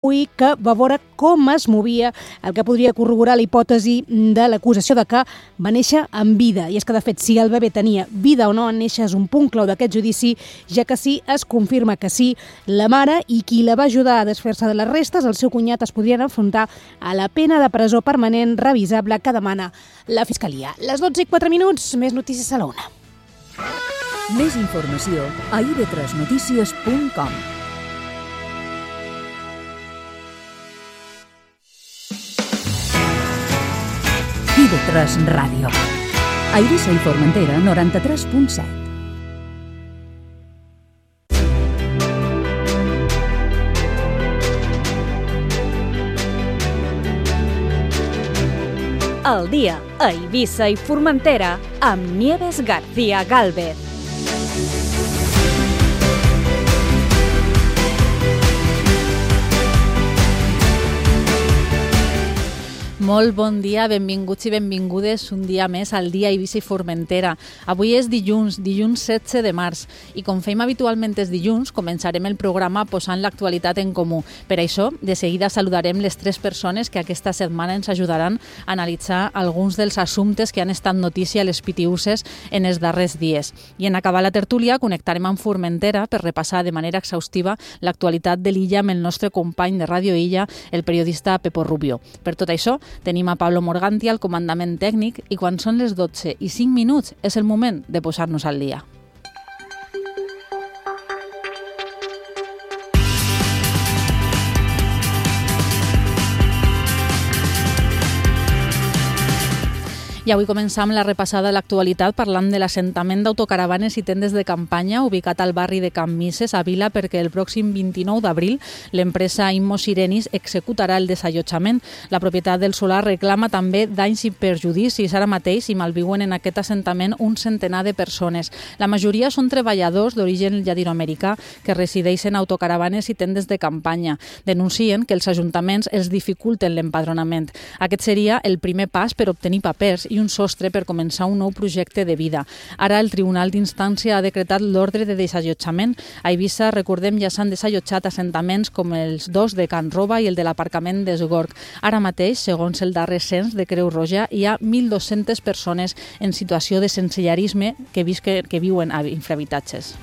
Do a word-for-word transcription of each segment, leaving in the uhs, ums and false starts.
que va veure com es movia, el que podria corroborar la hipòtesi de l'acusació de que va néixer amb vida. I és que, de fet, si el bebè tenia vida o no en néixer és un punt clau d'aquest judici, ja que sí, es confirma que sí, la mare i qui la va ajudar a desfer-se de les restes, el seu cunyat, es podrien enfrontar a la pena de presó permanent revisable que demana la Fiscalia. Les dotze i quatre minuts, més notícies a la una. Més informació a i ve tres notícies punt com. i ve tres Ràdio. A Eivissa i Formentera, noranta-tres punt set. El dia a Eivissa i Formentera amb Nieves García Gálvez. Molt bon dia, benvinguts i benvingudes un dia més al dia Eivissa i Formentera. Avui és dilluns, dilluns setze de març, i com fem habitualment els dilluns, començarem el programa posant l'actualitat en comú. Per això, de seguida saludarem les tres persones que aquesta setmana ens ajudaran a analitzar alguns dels assumptes que han estat notícia a les pitiüses en els darrers dies. I en acabar la tertúlia, connectarem amb Formentera per repassar de manera exhaustiva l'actualitat de l'illa amb el nostre company de Ràdio Illa, el periodista Pepo Rubio. Per tot això, tenim a Pablo Morganti al comandament tècnic i quan són les dotze i cinc minuts és el moment de posar-nos al dia. I avui començam la repassada de l'actualitat parlant de l'assentament d'autocaravanes i tendes de campanya ubicat al barri de Can Misses, a Vila, perquè el pròxim vint-i-nou d'abril l'empresa Immo Sirenis executarà el desallotjament. La propietat del solar reclama també danys i perjudicis. Ara mateix hi malviuen en aquest assentament un centenar de persones. La majoria són treballadors d'origen llatinoamericà que resideixen en autocaravanes i tendes de campanya. Denuncien que els ajuntaments els dificulten l'empadronament. Aquest seria el primer pas per obtenir papers i un sostre per començar un nou projecte de vida. Ara el Tribunal d'Instància ha decretat l'ordre de desallotjament. A Eivissa, recordem, ja s'han desallotjat assentaments com els dos de Can Roba i el de l'aparcament d'Esgorg. Ara mateix, segons el darrer cens de Creu Roja, hi ha mil dos-centes persones en situació de sensellarisme que, visque, que viuen a infrahabitatges.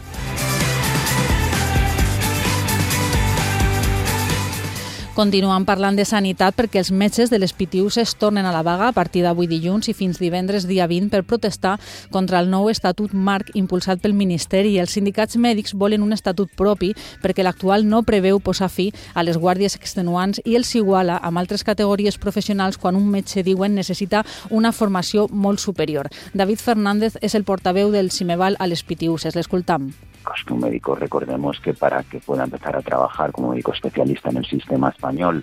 Continuem parlant de sanitat perquè els metges de les pitiüses tornen a la vaga a partir d'avui dilluns i fins divendres dia vint per protestar contra el nou estatut marc impulsat pel Ministeri. Els sindicats mèdics volen un estatut propi perquè l'actual no preveu posar fi a les guàrdies extenuants i els iguala amb altres categories professionals quan un metge, diuen, necessita una formació molt superior. David Fernández és el portaveu del Cimeval a les pitiüses. L'escoltam. Que un médico, recordemos que para que pueda empezar a trabajar como médico especialista en el sistema español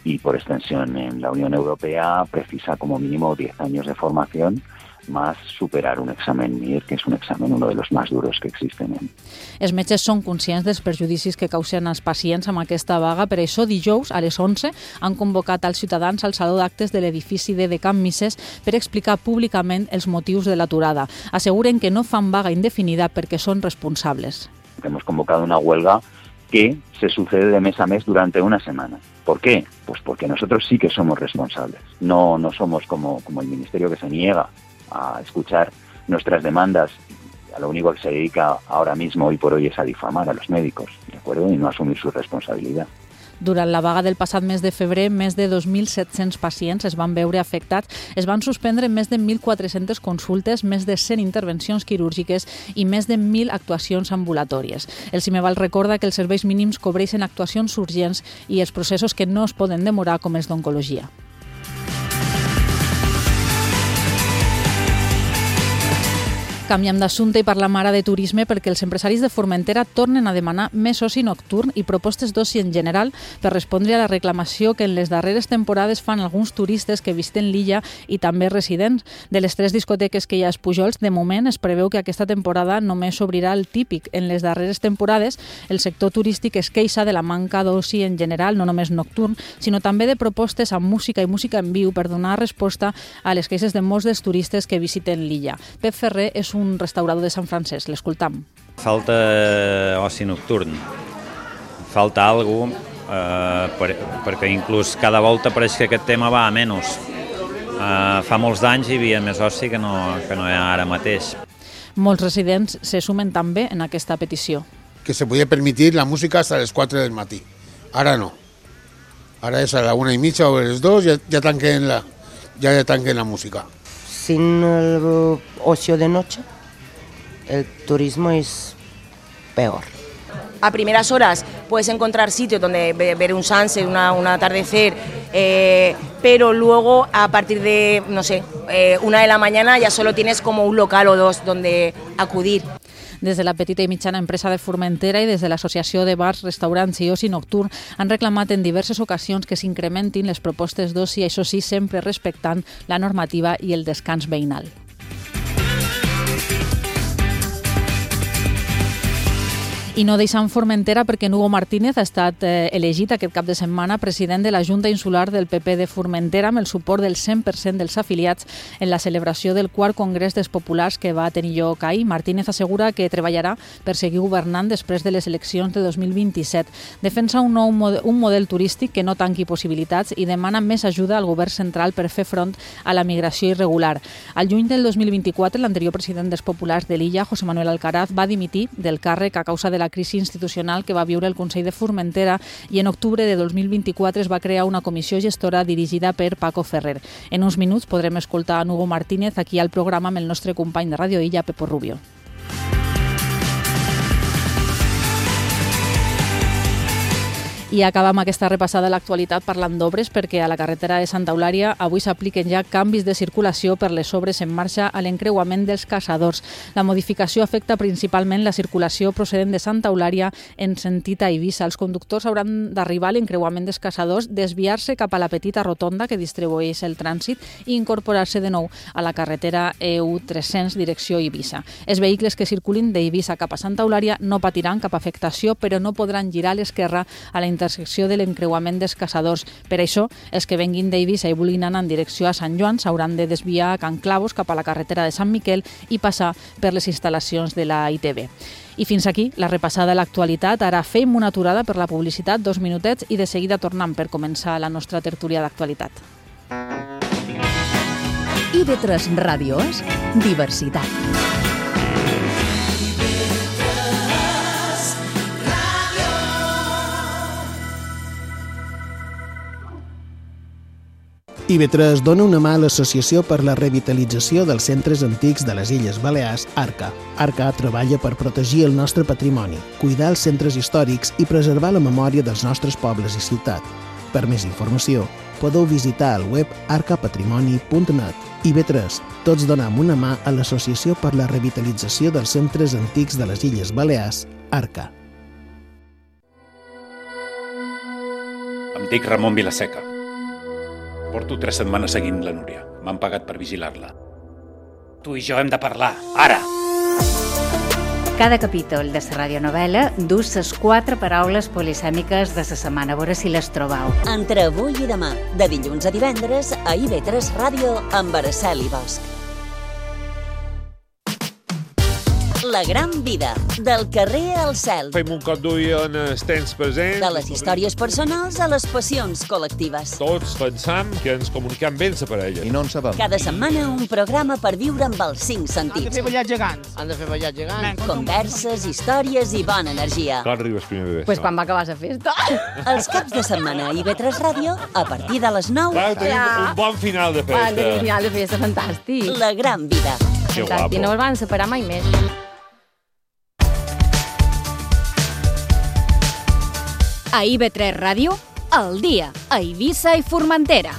y por extensión en la Unión Europea, precisa como mínimo diez años de formación más superar un examen M I R, que és un examen uno de los más duros que existen. Els metges són conscients dels perjudicis que causen als pacients amb aquesta vaga. Per això, dijous, a les onze, han convocat als ciutadans al Saló d'Actes de l'edifici de Can Misses per explicar públicament els motius de l'aturada. Asseguren que no fan vaga indefinida perquè són responsables. Hemos convocado una huelga que se sucede de mes a mes durante una semana. ¿Por qué? Pues porque nosotros sí que somos responsables. No, no somos como, como el Ministerio que se niega a escuchar nuestras demandas. A lo único que se dedica ahora mismo, hoy por hoy, es a difamar a los médicos, ¿de acuerdo? Y no asumir su responsabilidad. Durant la vaga del passat mes de febrer, més de dos mil set-cents pacients es van veure afectats. Es van suspendre més de mil quatre-centes consultes, més de cent intervencions quirúrgiques i més de mil actuacions ambulatòries. El Cimeval recorda que els serveis mínims cobreixen actuacions urgents i els processos que no es poden demorar, com els d'oncologia. Canviem d'assumpte i parlam ara de turisme perquè els empresaris de Formentera tornen a demanar més oci nocturn i propostes d'oci en general per respondre a la reclamació que en les darreres temporades fan alguns turistes que visiten l'illa i també residents. De les tres discoteques que hi ha a Pujols, de moment es preveu que aquesta temporada només s'obrirà el típic. En les darreres temporades, el sector turístic es queixa de la manca d'oci en general, no només nocturn, sinó també de propostes amb música i música en viu per donar resposta a les queixes de molts dels turistes que visiten l'illa. Pep Ferrer és un un restaurador de Sant Francesc, l'escoltam. Falta oci nocturn, falta alguna cosa eh, per, perquè inclús cada volta pareix que aquest tema va a menys. Eh, fa molts d'anys hi havia més oci que no, que no hi ha ara mateix. Molts residents se sumen també en aquesta petició. Que se podia permitir la música hasta les quatre del matí. Ara no. Ara és a la una i mitja o a les dos ja, ja, tanquen la, ja, ja tanquen la música. Sin el ocio de noche, el turismo es peor. A primeras horas puedes encontrar sitios donde ver un sunset, una, un atardecer, eh, pero luego a partir de, no sé, eh, una de la mañana ya solo tienes como un local o dos donde acudir. Des de la petita i mitjana empresa de Formentera i des de l'Associació de Bars, Restaurants i Oci Nocturn han reclamat en diverses ocasions que s'incrementin les propostes d'oci, això sí, sempre respectant la normativa i el descans veïnal. I no deixant Formentera perquè Hugo Martínez ha estat eh, elegit aquest cap de setmana president de la Junta Insular del P P de Formentera amb el suport del cent per cent dels afiliats en la celebració del quart Congrés dels Populars que va tenir lloc ahir. Martínez assegura que treballarà per seguir governant després de les eleccions de dos mil vint-i-set. Defensa un nou model, un model turístic que no tanqui possibilitats i demana més ajuda al govern central per fer front a la migració irregular. Al juny del dos mil vint-i-quatre, l'anterior president dels Populars de l'illa, José Manuel Alcaraz, va dimitir del càrrec a causa de la crisi institucional que va viure el Consell de Formentera i en octubre de dos mil vint-i-quatre es va crear una comissió gestora dirigida per Paco Ferrer. En uns minuts podrem escoltar a Hugo Martínez aquí al programa amb el nostre company de Ràdio Illa, Pepo Rubio. I acabam aquesta repassada a l'actualitat parlant d'obres perquè a la carretera de Santa Eulària avui s'apliquen ja canvis de circulació per les obres en marxa a l'encreuament dels Caçadors. La modificació afecta principalment la circulació procedent de Santa Eulària en sentit a Eivissa. Els conductors hauran d'arribar a l'encreuament dels Caçadors, desviar-se cap a la petita rotonda que distribueix el trànsit i incorporar-se de nou a la carretera E U tres-cents direcció Eivissa. Els vehicles que circulin d'Eivissa cap a Santa Eulària no patiran cap afectació, però no podran girar a l'esquerra a la intersecció de l'encreuament dels Caçadors. Per això, els que venguin d'Eivissa i vulguin anar en direcció a Sant Joan s'hauran de desviar a Can Clavos cap a la carretera de Sant Miquel i passar per les instal·lacions de la I T B. I fins aquí la repassada de l'actualitat. Ara fem una aturada per la publicitat, dos minutets, i de seguida tornem per començar la nostra tertúlia d'actualitat. I V tres Ràdio és diversitat. I V tres dona una mà a l'Associació per la Revitalització dels Centres Antics de les Illes Balears, ARCA. ARCA treballa per protegir el nostre patrimoni, cuidar els centres històrics i preservar la memòria dels nostres pobles i ciutat. Per més informació, podeu visitar el web arca patrimoni punt net. I V tres, tots donem una mà a l'Associació per la Revitalització dels Centres Antics de les Illes Balears, ARCA. Em dic Ramon Vilaseca. Porto tres setmanes seguint la Núria. M'han pagat per vigilar-la. Tu i jo hem de parlar, ara! Cada capítol de la radionovela dus les quatre paraules polisèmiques de la setmana. A veure si les trobeu. Entre avui i demà, de dilluns a divendres, a I V tres Ràdio amb Araceli Bosch. La gran vida, del carrer al cel. Fem un cop d'ull en els temps presents. De les històries personals a les passions col·lectives. Tots pensam que ens comuniquem bé amb la parella. I no en sabem. Cada setmana un programa per viure amb els cinc sentits. Han de fer ballar gegants. Han de fer ballar gegants. Converses, històries i bona energia. Clar, arribes primer de Pues quan va acabar la festa. Els caps de setmana a I V tres Ràdio, a partir de les nou. Clar, tenim ja. un bon final de festa. Un final de festa fantàstic. La gran vida. Que fantàstic, no els van separar mai més. A I V tres Ràdio, al dia, a Eivissa i Formentera.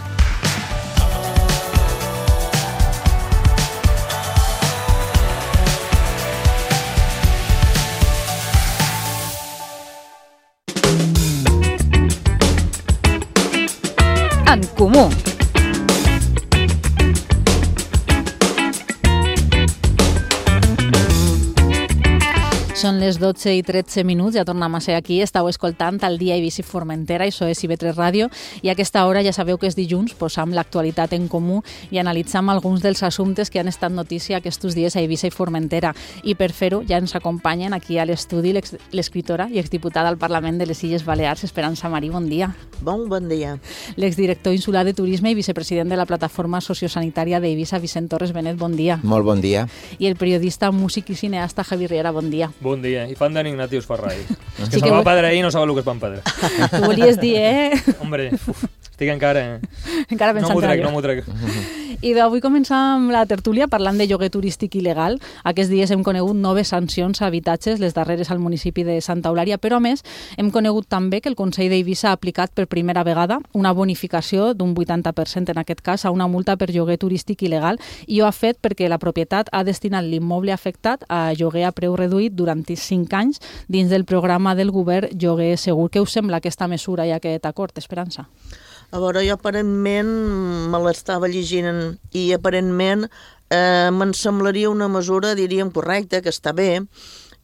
En comú. Són les dotze i tretze minuts, ja tornem a ser aquí. Estau escoltant el dia Eivissa i Formentera, això és I V tres Ràdio, i a aquesta hora ja sabeu que és dilluns, posam l'actualitat en comú i analitzam alguns dels assumptes que han estat notícia aquests dies a Eivissa i Formentera. I per fer-ho ja ens acompanyen aquí a l'estudi l'escriptora i exdiputada al Parlament de les Illes Balears, Esperança Marí, bon dia. Bon, bon dia. L'exdirector insular de Turisme i vicepresident de la Plataforma Sociosanitària d'Eivissa, Vicent Torres Benet, bon dia. Molt bon dia. I el periodista, músic i cineasta Javi Riera, bon dia. Bon dia. I fan d'en Ignatius Ferrai. És que sí se'l va pedre ahir i no sabeu el que és pan pedre. Tu volies dir, eh? Hombre, uf, estic encara... Encara pensant no m'ho trec, en no m'ho trec. I avui començam la tertúlia parlant de lloguer turístic il·legal. Aquests dies hem conegut noves sancions a habitatges, les darreres al municipi de Santa Eulària, però a més hem conegut també que el Consell d'Eivissa ha aplicat per primera vegada una bonificació d'un vuitanta per cent, en aquest cas, a una multa per lloguer turístic il·legal, i ho ha fet perquè la propietat ha destinat l'immoble afectat a lloguer a preu reduït durant cinc anys dins del programa del govern Lloguer Segur. Què us sembla aquesta mesura i aquest acord, Esperança? A veure, jo aparentment me l'estava llegint i aparentment eh, me'n semblaria una mesura, diríem, correcta, que està bé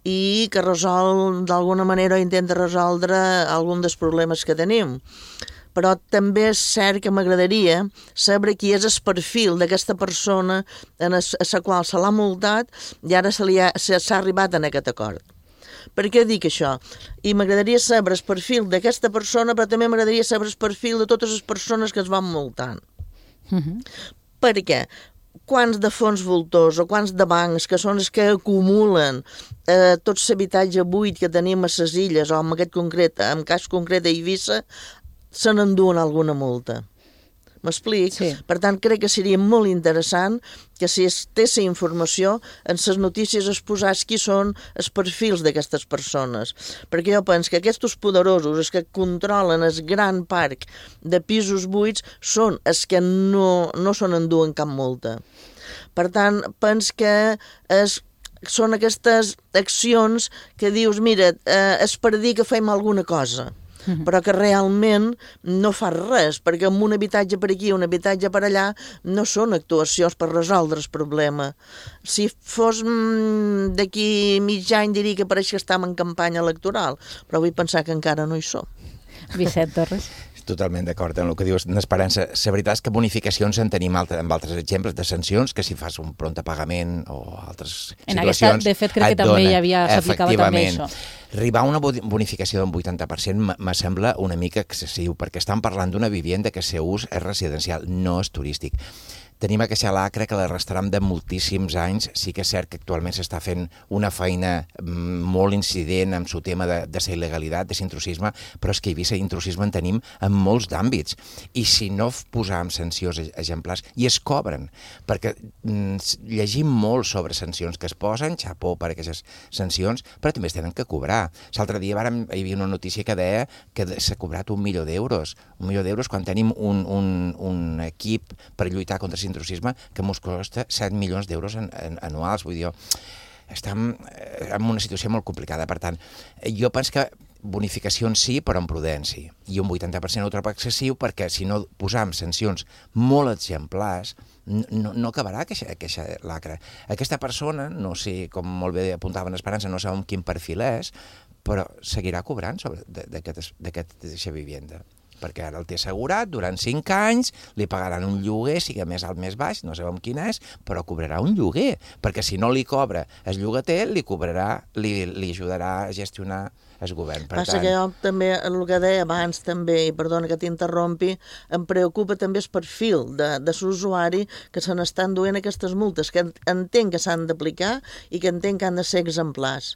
i que resol, d'alguna manera, intenta resoldre algun dels problemes que tenim. Però també és cert que m'agradaria saber qui és el perfil d'aquesta persona a la qual se l'ha multat i ara s'ha arribat en aquest acord. Per què dic això? I m'agradaria saber el perfil d'aquesta persona, però també m'agradaria saber el perfil de totes les persones que es van multant. Uh-huh. Per què? Quants de fons voltors o quants de bancs, que són els que acumulen eh, tot l'habitatge buit que tenim a les illes, o en aquest concret, en cas concret a Eivissa, se n'enduen alguna multa. M'explic? Sí. Per tant, crec que seria molt interessant que si es té la informació en les notícies es posés qui són els perfils d'aquestes persones. Perquè jo penso que aquests poderosos, els que controlen el gran parc de pisos buits, són els que no, no se n'enduen cap multa. Per tant, penso que és són aquestes accions que dius, mira, eh, és per dir que fem alguna cosa, però que realment no fa res, perquè amb un habitatge per aquí, un habitatge per allà, no són actuacions per resoldre el problema. Si fos mm, d'aquí mig any diria que pareix que estem en campanya electoral, però vull pensar que encara no hi som. Vicent Torres. Totalment d'acord amb el que dius, Esperança. La veritat és que bonificacions en tenim altres, amb altres exemples de sancions, que si fas un prompt pagament o altres en situacions... Aquesta, de fet, crec que també hi havia, s'aplicava també això. Arribar a una bonificació d'un vuitanta per cent me sembla una mica excessiu, perquè estan parlant d'una vivenda que el seu ús és residencial, no és turístic. Tenim aquesta lacra que l'arrastrem de moltíssims anys. Sí que és cert que actualment s'està fent una feina molt incident amb el tema de, de la il·legalitat, de l'intrusisme, però és que a Eivissa intrusisme en tenim en molts d'àmbits. I si no posam sancions exemplars, i es cobren, perquè mm, llegim molt sobre sancions que es posen, xapó per aquestes sancions, però també es tenen que cobrar. L'altre dia vàrem, hi havia una notícia que deia que s'ha cobrat un milió d'euros. Un milió d'euros quan tenim un, un, un equip per lluitar contra intrusisme que ens costa set milions d'euros en, en, anuals. Vull dir, estem en una situació molt complicada. Per tant, jo penso que bonificacions sí, però amb prudència. I un vuitanta per cent ho trobo excessiu perquè si no posam sancions molt exemplars, no, no acabarà aquesta, aquesta lacra. Aquesta persona, no sé, com molt bé apuntava en Esperança, no sabem quin perfil és, però seguirà cobrant d'aquesta vivenda. Perquè ara el té assegurat durant cinc anys, li pagaran un lloguer, sigui més alt més baix, no sabem quin és, però cobrarà un lloguer, perquè si no li cobra el llogater, li cobrarà, li, li ajudarà a gestionar el govern. Per Passa tant... que jo també, el que deia abans també, i perdona que t'interrompi, em preocupa també el perfil de, de l'usuari que se n'estan duent aquestes multes, que entenc que s'han d'aplicar i que entenc que han de ser exemplars.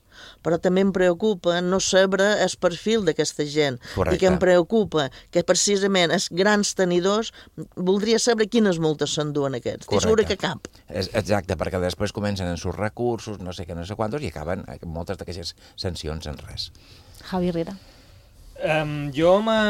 Però també em preocupa no saber el perfil d'aquesta gent. Correcte. I que em preocupa que precisament els grans tenidors voldria saber quines multes s'enduen aquests. Estic segura que cap. Exacte, perquè després comencen en sus recursos, no sé què, no sé quantos, i acaben moltes d'aquestes sancions en res. Javi Riera. Um, jo me,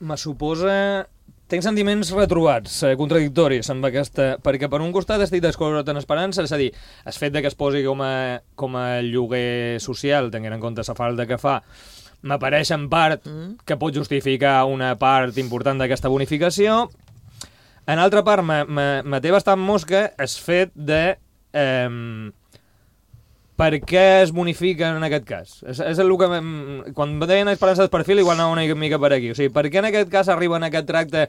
me suposa... Tinc sentiments retrobats, eh, contradictoris amb aquesta, perquè per un costat estic d'acord en Esperança, és a dir, el fet de que es posi com a, com a lloguer social, tenint en compte la falta que fa, m'apareix en part que pot justificar una part important d'aquesta bonificació. En altra part, me, me, me té bastant mosca el fet de... Eh, per què es bonifiquen en aquest cas? És, és el que... Quan deien esperança de perfil, igual anava una mica per aquí. O sigui, per què en aquest cas arriben a aquest tracte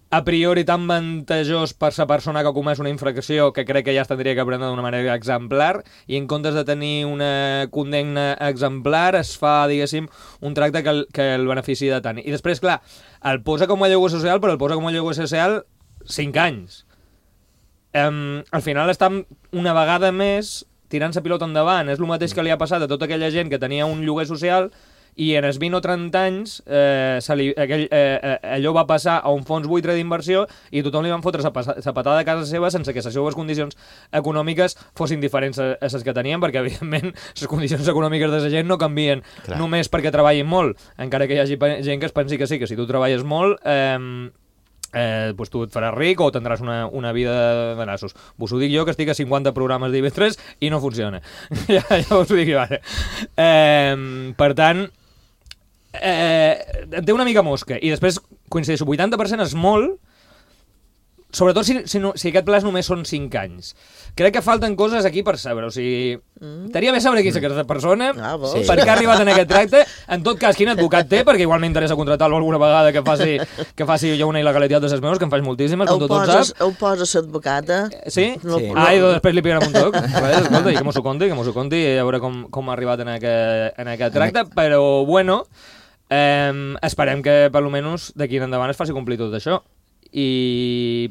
a priori tan vantajós per la persona que ha comès una infracció que crec que ja es tindria que prendre d'una manera exemplar i en comptes de tenir una condemna exemplar es fa, diguéssim, un tracte que el, que el benefici de tant. I després, clar, el posa com a lloguer social, però el posa com a lloguer social cinc anys. Um, al final estan una vegada més tirant la pilota endavant. És el mateix que li ha passat a tota aquella gent que tenia un lloguer social i en els vint o trenta anys eh, li, aquell, eh, allò va passar a un fons buitre d'inversió i tothom li van fotre la patada a casa seva sense que les seves condicions econòmiques fossin diferents a les que tenien, perquè evidentment les condicions econòmiques de la gent no canvien Clar. només perquè treballin molt, encara que hi hagi gent que es pensi que sí, que si tu treballes molt eh, eh, pues tu et faràs ric o tindràs una, una vida de nassos. Vos ho dic jo, que estic a cinquanta programes d'I B tres i no funciona. ja, ja us ho dic, vale. Eh, per tant, eh, té una mica mosca. I després, coincideixo, vuitanta per cent és molt, sobretot si, si, no, si aquest pla només són cinc anys. Crec que falten coses aquí per saber, o sigui, mm. t'haria bé saber qui és aquesta persona, ah, sí. per què ha arribat en aquest tracte, en tot cas, quin advocat té, perquè igual m'interessa contractar-lo alguna vegada que faci, que faci jo una il·legalitat de ses meus, que em faig moltíssimes, com tothom sap. Ho poses l'advocata. Sí? No, sí. Ah, i després li pigarem un toc. Vale, escolta, i que m'ho conti, que m'ho conti, i a veure com, com ha arribat en aquest, en aquest tracte, però, bueno, eh, esperem que, per almenys, d'aquí en endavant es faci complir tot això. I...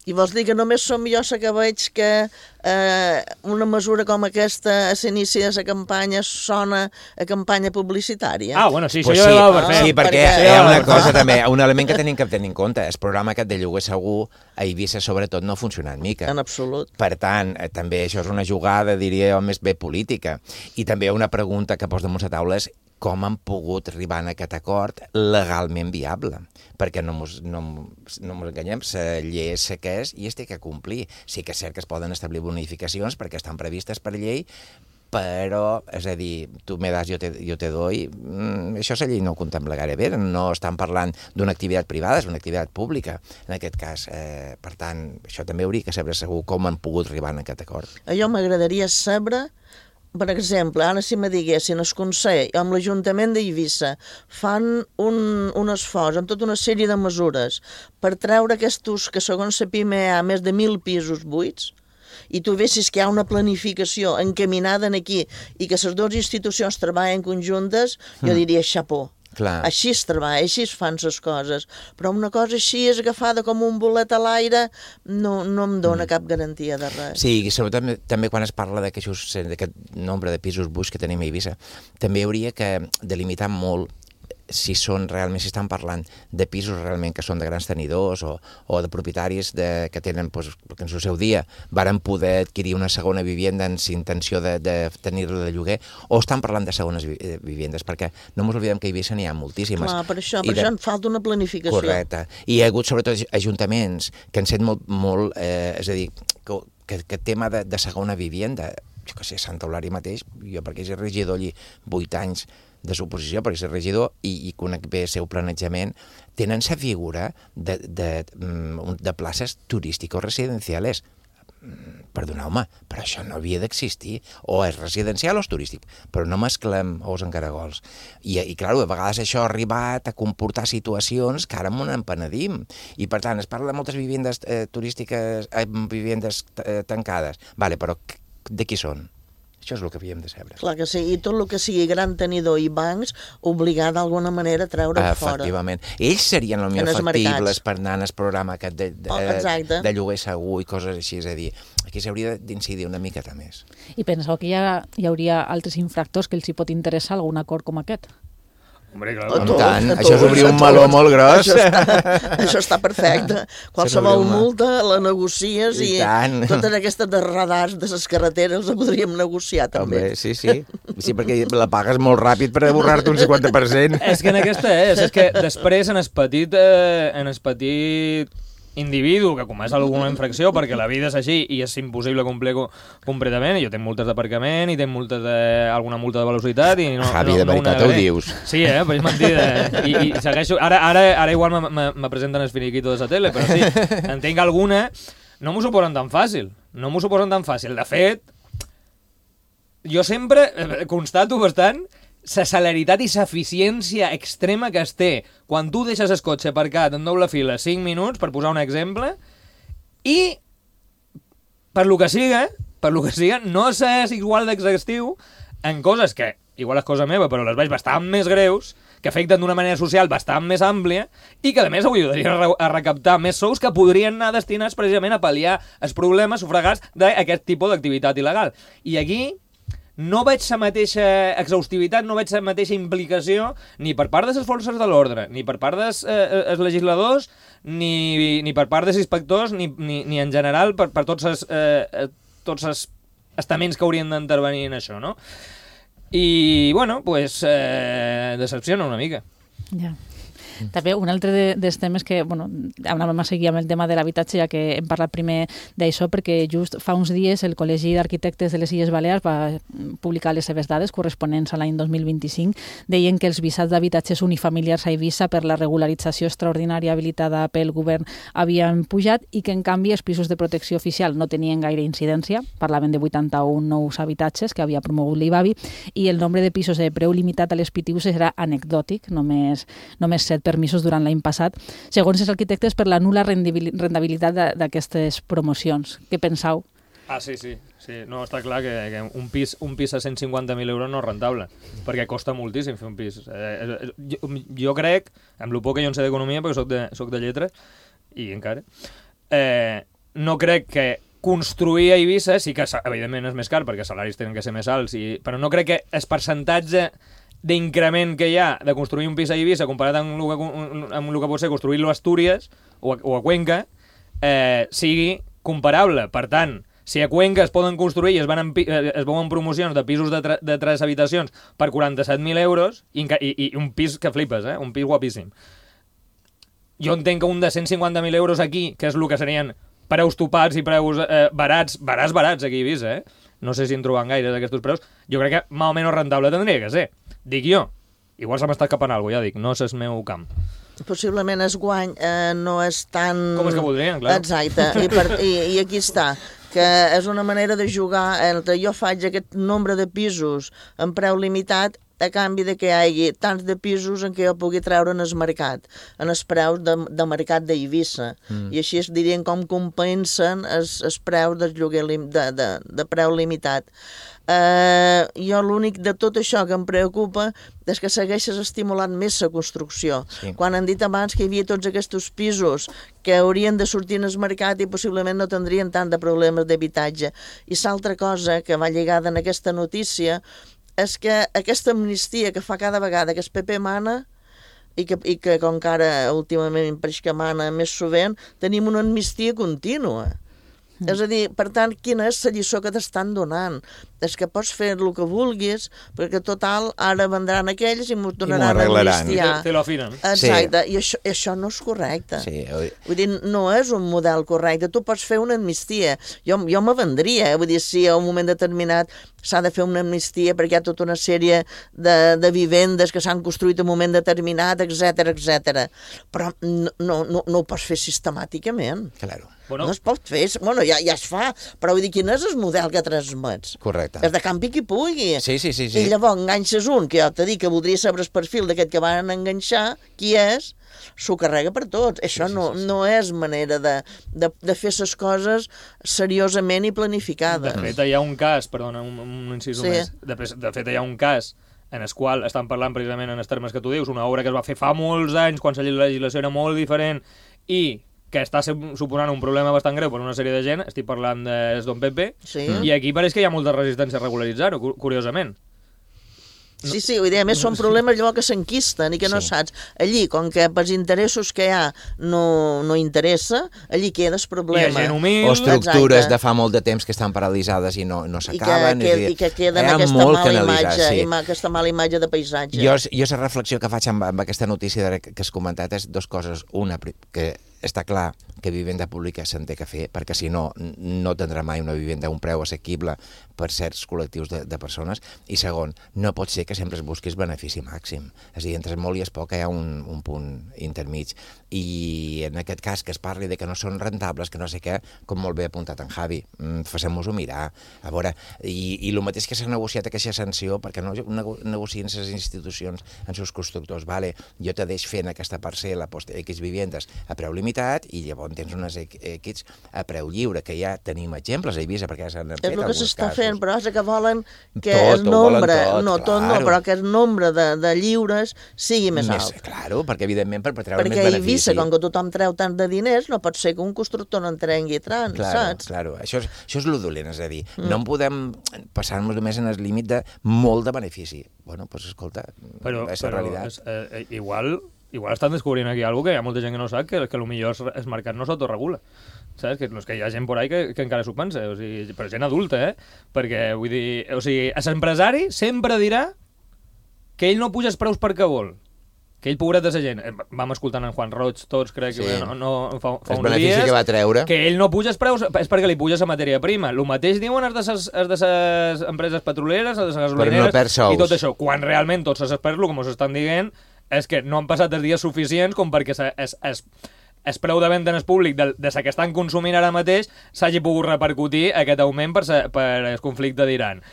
I vols dir que només som jo la que veig que eh, una mesura com aquesta a l'inici de la campanya sona a campanya publicitària? Ah, bueno, sí, pues això sí, ja ho va fer. Sí, perquè hi ha una cosa també, un element que tenim que tenir en compte, el programa aquest de lloguer segur a Eivissa sobretot no ha funcionat mica. En absolut. Per tant, eh, també això és una jugada, diria jo, més bé política. I també una pregunta que posa damunt la taula és com han pogut arribar a aquest acord legalment viable. Perquè no ens no, no enganyem, la llei és la que és i es té que complir. Sí que és cert que es poden establir bonificacions perquè estan previstes per llei, però, és a dir, tu me das, jo te, jo te doy, mm, això la llei no ho contempla gaire bé, no estan parlant d'una activitat privada, és una activitat pública, en aquest cas. Eh, per tant, això també hauria que saber segur com han pogut arribar a aquest acord. A jo m'agradaria saber... Per exemple, ara si me diguessin el Consell amb l'Ajuntament d'Eivissa fan un, un esforç amb tota una sèrie de mesures per treure aquests ús que segons la PIME hi ha més de mil pisos buits i tu vessis que hi ha una planificació encaminada aquí i que les dues institucions treballen conjuntes, jo diria xapó. Clar. Així es treballa, així es fan les coses. Però una cosa així és agafada com un bolet a l'aire, no, no em dona mm. cap garantia de res. Sí, i sobretot també, també quan es parla d'aquest nombre de pisos buits que tenim a Eivissa, també hauria que delimitar molt si són realment, si estan parlant de pisos realment que són de grans tenidors o, o de propietaris de, que tenen, pues, que en el seu dia varen poder adquirir una segona vivienda amb intenció de, de tenir-la de lloguer, o estan parlant de segones vivendes, perquè no ens oblidem que a Eivissa n'hi ha moltíssimes. Clar, per això, per de... això en falta una planificació. Correcte. I hi ha hagut sobretot ajuntaments que han set molt, molt eh, és a dir, que, que, que tema de, de segona vivienda, jo que sé, Santa Eulària mateix, jo perquè és regidor allí vuit anys de suposició, perquè és regidor i, i conec bé el seu planejament, tenen la figura de, de, de places turístiques residencials. Perdoneu-me, però això no havia d'existir. O és residencial o és turístic, però no mesclem ous en caragols. I, i clar, a vegades això ha arribat a comportar situacions que ara m'ho empenedim. I per tant, es parla de moltes vivendes eh, turístiques, eh, vivendes eh, tancades. Vale, però de qui són? Això és el que havíem de saber. Clar que sí, i tot el que sigui gran tenidor i bancs, obligar d'alguna manera a treure-ho fora. Efectivament. Ells serien el millor factibles per anar al programa aquest de, de, oh, de lloguer segur i coses així. És a dir, aquí s'hauria d'incidir una miqueta més. I penseu que hi, ha, hi hauria altres infractors que els hi pot interessar algun acord com aquest? Hombre, clar, amb tant, això és obrir un meló molt gros. Això està, això està perfecte. Qualsevol multa la negocies i, i totes aquestes de radars de les carreteres les podríem negociar també. Home, sí, sí. Sí, perquè la pagues molt ràpid per aborrar-te un cinquanta per cent. És que en aquesta és, és que després en el petit, eh, en el petit individu que comença alguna infracció perquè la vida és així i és impossible complir completament, i jo tinc multes d'aparcament i tinc multes de, alguna multa de velocitat i no, Javi, no, de no veritat ho dius. Sí, eh, però és mentida. I, i segueixo, ara, ara, ara igual me presenten els finiquitos de la tele, però sí, en tinc alguna, no m'ho suposen tan fàcil, no m'ho suposen tan fàcil. De fet, jo sempre constato bastant la celeritat i l'eficiència extrema que es té quan tu deixes el cotxe aparcat en doble fila cinc minuts, per posar un exemple, i per lo que siga, per lo que siga, no és igual d'exhaustiu en coses que, igual és cosa meva, però les veig bastant més greus, que afecten d'una manera social bastant més àmplia i que, a més, ho ajudarien a, re a recaptar més sous que podrien anar destinats precisament a pal·liar els problemes sufragats d'aquest tipus d'activitat il·legal. I aquí no veig la mateixa exhaustivitat, no veig la mateixa implicació ni per part de les forces de l'ordre, ni per part dels eh, legisladors, ni, ni per part dels inspectors, ni, ni, ni en general per, per tots els eh, tots els estaments que haurien d'intervenir en això, no? I, bueno, pues, eh, decepciona una mica. Ja. També un altre de, dels temes que, bueno, anàvem a seguir amb el tema de l'habitatge, ja que hem parlat primer d'això, perquè just fa uns dies el Col·legi d'Arquitectes de les Illes Balears va publicar les seves dades corresponents a l'any dos mil vint-i-cinc. Deien que els visats d'habitatges unifamiliars a Eivissa per la regularització extraordinària habilitada pel govern havien pujat i que, en canvi, els pisos de protecció oficial no tenien gaire incidència. Parlaven de vuitanta-un nous habitatges que havia promogut l'Ibavi i el nombre de pisos de preu limitat a les P T Us era anecdòtic, només, només set permisos durant l'any passat, segons els arquitectes per la nul·la rendibilitat d'aquestes promocions. Què penseu? Ah, sí, sí. sí. No, està clar que, que un pis un pis a cent cinquanta mil euros no és rentable, perquè costa moltíssim fer un pis. Eh, jo, jo crec, amb el poc que jo en sé d'economia, perquè soc de, soc de lletra, i encara, eh, no crec que construir a Eivissa, sí que evidentment és més car, perquè els salaris tenen que ser més alts, i, però no crec que el percentatge d'increment que hi ha de construir un pis a Eivissa comparat amb el que, amb el que pot ser construir-lo a Astúries o a, o a Cuenca eh, sigui comparable. Per tant, si a Cuenca es poden construir i es, van en, es veuen promocions de pisos de, tre, de tres habitacions per quaranta-set mil euros i, i, i un pis que flipes, eh? Un pis guapíssim. Jo entenc que un de cent cinquanta mil euros aquí, que és el que serien preus topats i preus eh, barats, barats, barats aquí a Eivissa, eh? No sé si en troben gaires aquests preus, jo crec que més o menys rentable tindria que ser. Dic jo. Igual se m'està escapant alguna cosa, ja dic, no és el meu camp. Possiblement es guany eh, no és tan... Com és que voldrien, clar. Exacte, I, per, i, i aquí està, que és una manera de jugar entre jo faig aquest nombre de pisos en preu limitat a canvi de que hi hagi tants de pisos en què jo pugui treure en el mercat, en els preus de, de mercat d'Eivissa. Mm. I així es dirien com compensen els, els preus del lloguer lim, de, de, de preu limitat. Uh, jo l'únic de tot això que em preocupa és que segueixes estimulant més la construcció. Sí. Quan han dit abans que hi havia tots aquests pisos que haurien de sortir en el mercat i possiblement no tindrien tant de problemes d'habitatge. I l'altra cosa que va lligada en aquesta notícia és que aquesta amnistia que fa cada vegada que el P P mana i que, i que com que ara últimament pareix que mana més sovint, tenim una amnistia contínua. Mm. És a dir, per tant, quina és la lliçó que t'estan donant? És que pots fer el que vulguis, perquè total, ara vendran aquells i m'ho donaran a amnistiar. Te, te lo afinen. Exacte, sí. I això, això no és correcte. Sí. Vull dir, no és un model correcte. Tu pots fer una amnistia. Jo, jo me vendria, vull dir, si a un moment determinat s'ha de fer una amnistia perquè hi ha tota una sèrie de, de vivendes que s'han construït en un moment determinat, etcètera, etcètera. Però no, no, no, no ho pots fer sistemàticament. Claro. Bueno. No es pot fer, bueno, ja, ja es fa, però vull dir, quin és el model que transmets? Correcte. És de campi qui pugui. Sí, sí, sí, sí. I llavors enganxes un, que jo t'he dit que voldria saber el perfil d'aquest que van enganxar, qui és, s'ho carrega per tots. Això sí, sí, no, sí, sí. no és manera de, de, de fer les coses seriosament i planificades. De fet, hi ha un cas, perdona, un, un incís sí. més, de, de fet, hi ha un cas en el qual estan parlant precisament en els termes que tu dius, una obra que es va fer fa molts anys, quan la legislació era molt diferent, i que està suposant un problema bastant greu per una sèrie de gent, estic parlant de Don Pepe, sí. I aquí pareix que hi ha molta resistència a regularitzar-ho, curiosament. No. Sí, sí, vull dir, a més són problemes llavors que s'enquisten i que no sí. saps. Allí, com que pels interessos que hi ha no, no interessa, allí queda el problema. I hi ha gent humil. O estructures Exacte. de fa molt de temps que estan paralitzades i no, no s'acaben. I, que, I que queden aquesta mala, imatge, sí. aquesta mala imatge de paisatge. Jo, jo la reflexió que faig amb, amb aquesta notícia que has comentat és dues coses. Una, que està clar que vivenda pública se'n té que fer, perquè si no, no tindrà mai una vivenda a un preu assequible per certs col·lectius de, de persones. I segon, no pot ser que sempre es busquis benefici màxim. És a dir, entre molt i es poc hi ha un, un punt intermig. I en aquest cas que es parli de que no són rentables, que no sé què, com molt bé ha apuntat en Javi, facem-nos-ho mirar. A veure, i, i el mateix que s'ha negociat aquesta sanció, perquè no nego, negocien les institucions en seus constructors. Vale, jo te deix fent aquesta parcel·la, X vivendes a preu limitat, i llavors tens unes X a preu lliure, que ja tenim exemples a Eivissa, perquè ja s'han fet alguns casos. És el que s'està fent, però és que volen que tot, el nombre, tot, no tot claro. no, però que el nombre de, de lliures sigui més, més alt. Claro, perquè evidentment per treure perquè més benefici. Perquè a Eivissa, com que tothom treu tant de diners, no pot ser que un constructor no en trengui tant, claro, saps? Claro, això és, això és lo dolent, és a dir, mm. no en podem passar-nos només en el límit de molt de benefici. Bueno, doncs pues, escolta, però, és la però realitat. És, eh, igual... Igual estan descobrint aquí alguna cosa que hi ha molta gent que no sap, que, que potser el mercat no s'autoregula. Saps? Que, que hi ha gent por ahí que, que encara s'ho pensa, o sigui, però gent adulta, eh? Perquè, vull dir, o sigui, l'empresari sempre dirà que ell no puja els preus perquè vol. Que ell, pobret de la gent, vam escoltant en Juan Roig, tots, crec que sí. no, no, fa, fa uns dies, que va treure. Que ell no puja els preus és perquè li puja la matèria prima. El mateix diuen els de ses, els de ses empreses petroleres, els de les gasolineres, no i tot això, quan realment tots s'esperen, com us estan dient, és que no han passat els dies suficients com perquè es, es, es preu de venda en el públic de, de la que estan consumint ara mateix s'hagi pogut repercutir aquest augment per, sa, per el conflicte d'Iran.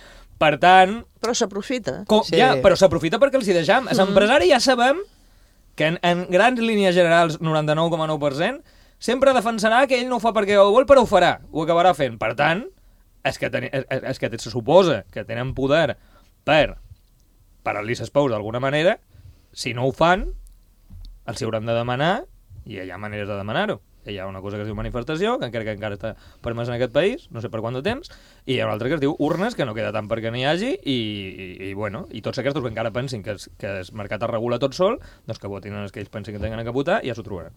Per tant... Però s'aprofita. Sí. Ja, però s'aprofita perquè els hi deixam. Mm. L'empresari ja sabem que en, en grans línies generals, noranta-nou coma nou per cent, sempre defensarà que ell no ho fa perquè ho vol, però ho farà, ho acabarà fent. Per tant, és que, ten, és, és que se suposa que tenen poder per parar-li les pous d'alguna manera. Si no ho fan, els hi hauran de demanar, i hi ha maneres de demanar-ho. Hi ha una cosa que es diu manifestació, que encara que encara està permès en aquest país, no sé per quant de temps, i hi ha una altra que es diu urnes, que no queda tant perquè n'hi hagi, i, i, i, bueno, i tots aquests que encara pensin que, es, que el mercat es regula tot sol, doncs que votin els que ells pensin que tenen que votar, i ja s'ho trobaran.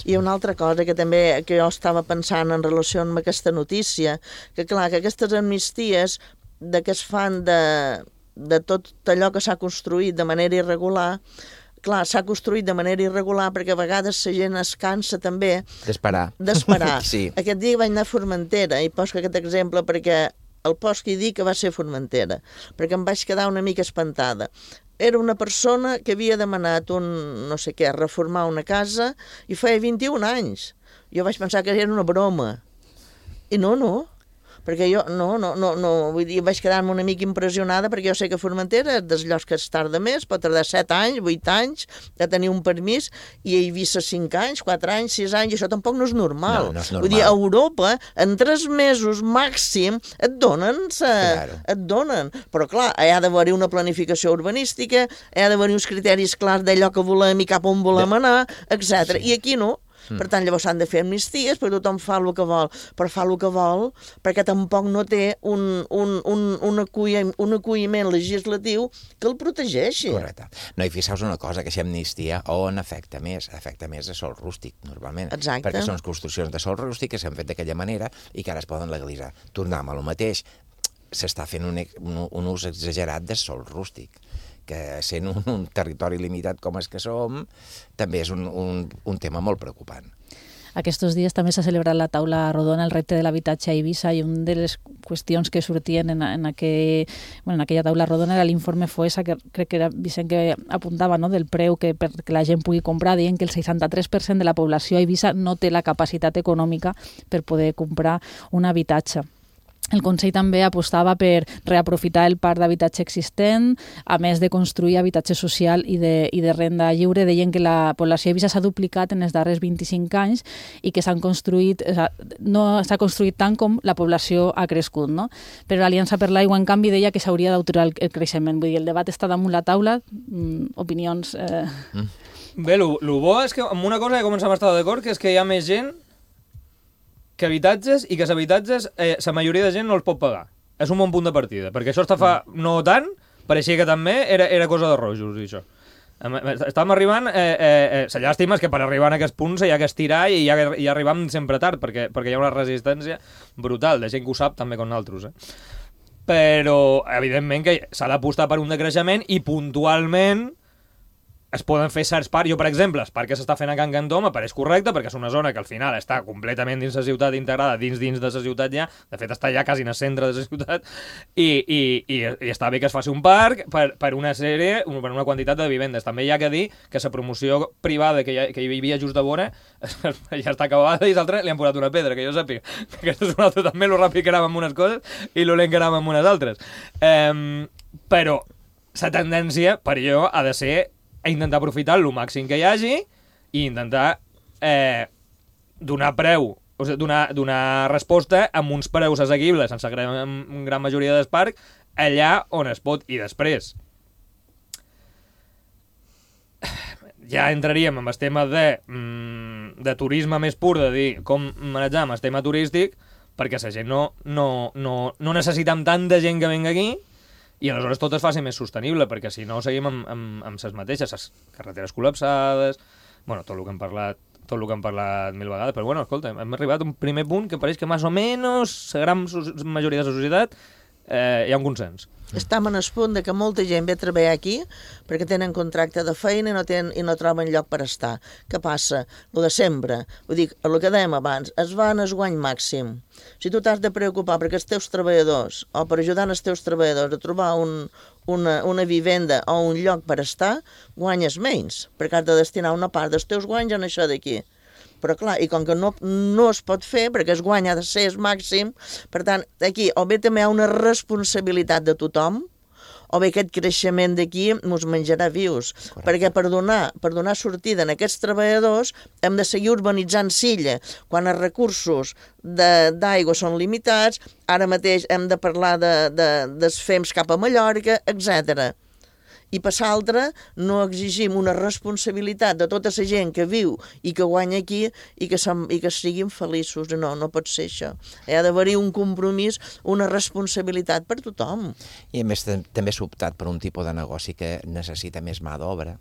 I una altra cosa que també que jo estava pensant en relació amb aquesta notícia, que clar, que aquestes amnisties de que es fan de... de tot allò que s'ha construït de manera irregular, clar, s'ha construït de manera irregular perquè a vegades la gent es cansa també... D'esperar. D'esperar. Sí. Aquest dia vaig anar a Formentera i poso aquest exemple perquè el post que hi dic que va ser Formentera, perquè em vaig quedar una mica espantada. Era una persona que havia demanat un, no sé què, reformar una casa i feia vint-i-un anys. Jo vaig pensar que era una broma. I no, no. Perquè jo no, no, no, no, vull dir, vaig quedar-me una mica impressionada perquè jo sé que Formentera és dels llocs que es tarda més, pot tardar set anys, vuit anys, de tenir un permís, i he vist cinc anys, quatre anys, sis anys, i això tampoc no és normal. No, no és normal. Vull dir, a Europa, en tres mesos màxim, et donen, sa, claro. et donen. Però clar, hi ha d'haver-hi una planificació urbanística, hi ha d'haver-hi uns criteris clars d'allò que volem i cap on volem anar, etcètera. Sí. I aquí no. Per tant, llavors s'han de fer amnisties perquè tothom fa el que vol, però fa el que vol perquè tampoc no té un, un, un, un, acull, un acolliment legislatiu que el protegeixi. Correcte. No, i fixeu-vos una cosa, que aquesta amnistia on afecta més? Afecta més a sol rústic, normalment. Exacte. Perquè són construccions de sol rústic que s'han fet d'aquella manera i que ara es poden legalitzar. Tornem a lo mateix. S'està fent un, un, un ús exagerat de sol rústic, que sent un, un territori limitat com és que som, també és un, un, un tema molt preocupant. Aquests dies també s'ha celebrat la taula rodona, el repte de l'habitatge a Eivissa, i una de les qüestions que sortien en, en, aquell, bueno, en aquella taula rodona era l'informe FOESA, que crec que era Vicent que apuntava, no?, del preu que perquè la gent pugui comprar, deien que el seixanta-tres per cent de la població a Eivissa no té la capacitat econòmica per poder comprar un habitatge. El Consell també apostava per reaprofitar el parc d'habitatge existent, a més de construir habitatge social i de, i de renda lliure. Deien que la població d'Eivissa s'ha duplicat en els darrers vint-i-cinc anys i que s'han construït, no s'ha construït tant com la població ha crescut, no? Però l'Aliança per l'Aigua, en canvi, deia que s'hauria d'aturar el creixement. Vull dir, el debat està damunt la taula, mm, opinions... Eh... Mm. Bé, el bo és que amb una cosa que comencem a estar d'acord, que és que hi ha més gent que habitatges i que els habitatges, eh, la majoria de gent no els pot pagar. És un bon punt de partida, perquè això està fa no tant, pareixia que també era, era cosa de rojos, i això. Estàvem arribant, eh, eh, la llàstima és que per arribar a aquest punt s'hi ha que estirar i ja, ja arribam sempre tard, perquè, perquè hi ha una resistència brutal, de gent que ho sap també com nosaltres. Eh? Però, evidentment, que s'ha d'apostar per un decreixement i puntualment es poden fer certs parcs. Jo, per exemple, el parc que s'està fent a Can Cantó m'apareix correcte perquè és una zona que al final està completament dins la ciutat, integrada dins dins de la ciutat ja, de fet està ja quasi en el centre de la ciutat, i, i, i, i està bé que es faci un parc per, per una sèrie, per una quantitat de vivendes. També hi ha que dir que la promoció privada que hi, ha, que hi havia just de vora ja està acabada i l'altre li han posat una pedra, que jo sàpiga. Aquest és un altre també, lo ràpid que anàvem amb unes coses i lo lent que anàvem amb unes altres. Um, però la tendència, per jo, ha de ser a intentar aprofitar el màxim que hi hagi i intentar eh, donar preu, o sigui, donar, donar resposta amb uns preus assequibles sense gran, gran majoria del parc allà on es pot. I després ja entraríem en el tema de, mm, de turisme més pur, de dir com manejar el tema turístic, perquè la gent no, no, no, no necessitem tanta gent que venga aquí i aleshores tot es faci més sostenible, perquè si no seguim amb, amb, amb les mateixes, les carreteres col·lapsades, bueno, tot el que hem parlat tot el que hem parlat mil vegades, però bueno, escolta, hem arribat a un primer punt que pareix que més o menys la gran majoria de la societat eh, hi ha un consens. Estem en el punt de que molta gent ve a treballar aquí perquè tenen contracte de feina i no, tenen, i no troben lloc per estar. Què passa? Lo de sempre. Vull dir, el que dèiem abans, es va en el guany màxim. Si tu t'has de preocupar perquè els teus treballadors o per ajudar els teus treballadors a trobar un, una, una vivenda o un lloc per estar, guanyes menys, perquè has de destinar una part dels teus guanys en això d'aquí. Però clar, i com que no, no es pot fer, perquè es guanya de ser el màxim, per tant, aquí o bé també hi ha una responsabilitat de tothom, o bé aquest creixement d'aquí ens menjarà vius. Correcte. Perquè per donar, per donar sortida a aquests treballadors hem de seguir urbanitzant Silla. Quan els recursos d'aigua són limitats, ara mateix hem de parlar de, de, dels fems cap a Mallorca, etcètera. I per l'altre no exigim una responsabilitat de tota la gent que viu i que guanya aquí i que, som, i que siguin feliços. No, no pot ser això. Hi ha d'haver-hi un compromís, una responsabilitat per tothom. I a més també s'ha optat per un tipus de negoci que necessita més mà d'obra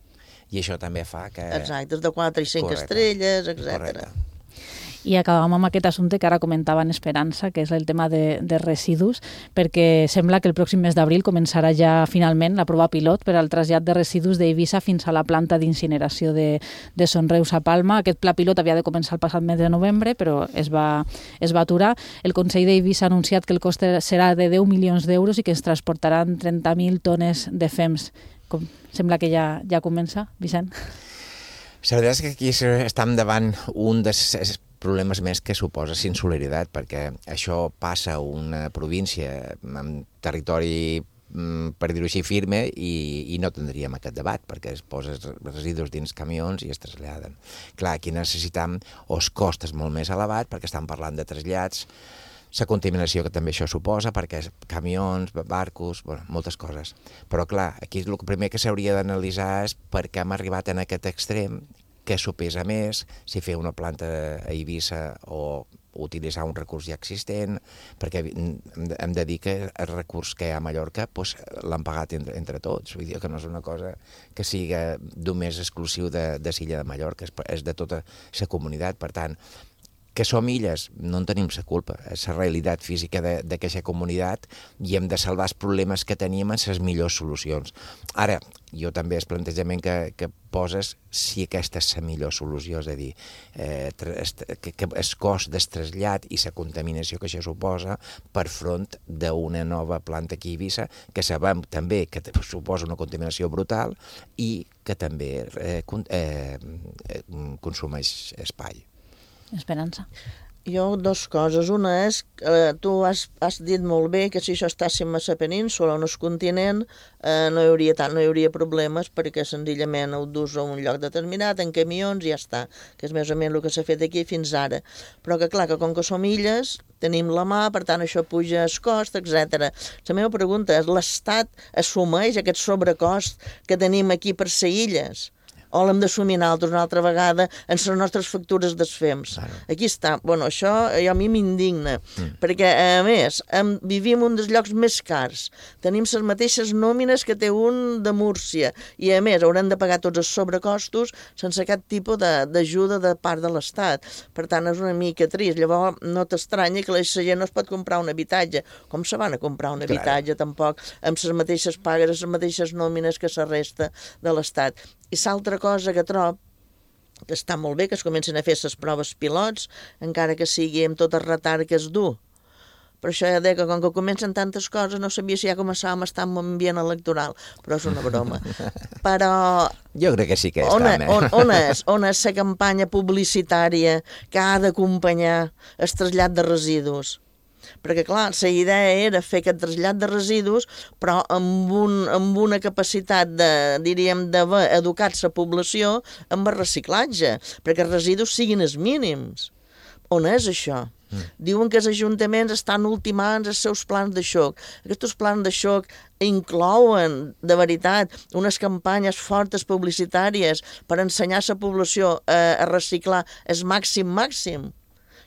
i això també fa que... Exacte, de quatre i cinc estrelles, etcètera. I acabam amb aquest assumpte que ara comentava en Esperança, que és el tema de, de residus, perquè sembla que el pròxim mes d'abril començarà ja finalment la prova pilot per al trasllat de residus d'Eivissa fins a la planta d'incineració de, de Son Reus a Palma. Aquest pla pilot havia de començar el passat mes de novembre, però es va, es va aturar. El Consell d'Eivissa ha anunciat que el cost serà de deu milions d'euros i que es transportaran trenta mil tones de fems. Com, sembla que ja, ja comença, Vicent? La veritat és que aquí estem davant un dels problemes més que suposa insolidaritat, perquè això passa a una província amb territori, per dir-ho així, firme, i, i no tindríem aquest debat, perquè es posa residus dins camions i es traslladen. Clar, aquí necessitam els costes molt més elevats, perquè estem parlant de trasllats, la contaminació que també això suposa, perquè camions, barcos, bueno, moltes coses. Però clar, aquí el primer que s'hauria d'analitzar és per què hem arribat en aquest extrem, què s'ho pesa més, si fer una planta a Eivissa o utilitzar un recurs ja existent, perquè hem de dir que el recurs que hi ha a Mallorca doncs, l'han pagat entre, entre tots, vull dir que no és una cosa que sigui només exclusiu de, de Silla de Mallorca, és, és de tota la comunitat, per tant, que som illes, no en tenim la culpa, és la realitat física d'aquesta comunitat i hem de salvar els problemes que tenim en les millors solucions. Ara, jo també el plantejament que, que poses, si aquesta és la millor solució, és a dir, eh, que, que el cost del trasllat i la contaminació que això suposa per front d'una nova planta aquí a Eivissa, que sabem també que suposa una contaminació brutal i que també eh, eh, consumeix espai. Esperança. Jo, dues coses. Una és, eh, tu has, has dit molt bé que si això estàssim a la península o en el continent eh, no, hi hauria tant, no hi hauria problemes perquè senzillament ho dus a un lloc determinat, en camions i ja està, que és més o menys el que s'ha fet aquí fins ara. Però que clar, que com que som illes, tenim la mà, per tant això puja el cost, etcètera. La meva pregunta és, l'Estat assumeix aquest sobrecost que tenim aquí per ser illes? o l'hem d'assumir nosaltres una altra vegada en les nostres factures dels F E M S. Claro. Aquí està. Bueno, això a mi m'indigna, mm. perquè, a més, em, vivim un dels llocs més cars, tenim les mateixes nòmines que té un de Múrcia, i a més haurem de pagar tots els sobrecostos sense cap tipus d'ajuda de, de part de l'Estat. Per tant, és una mica trist. Llavors, no t'estranya que la gent no es pot comprar un habitatge. Com se van a comprar un habitatge, claro. Tampoc, amb les mateixes pagues, les mateixes nòmines que la resta de l'Estat. I l'altra cosa que trobo que està molt bé que es comencin a fer les proves pilots, encara que sigui amb tot el retard que es du. Per això ja deia que com que comencen tantes coses no sabia si ja començàvem a estar en un ambient electoral, però és una broma. Però... Jo crec que sí que on, estem, eh? On, on és? On és la campanya publicitària que ha d'acompanyar el trasllat de residus? Perquè, clar, la idea era fer aquest trasllat de residus, però amb, un, amb una capacitat de, diríem, d'haver educat la població amb el reciclatge, perquè els residus siguin els mínims. On és això? Mm. Diuen que els ajuntaments estan ultimant els seus plans de xoc. Aquests plans de xoc inclouen, de veritat, unes campanyes fortes publicitàries per ensenyar a la població a, a reciclar el màxim màxim.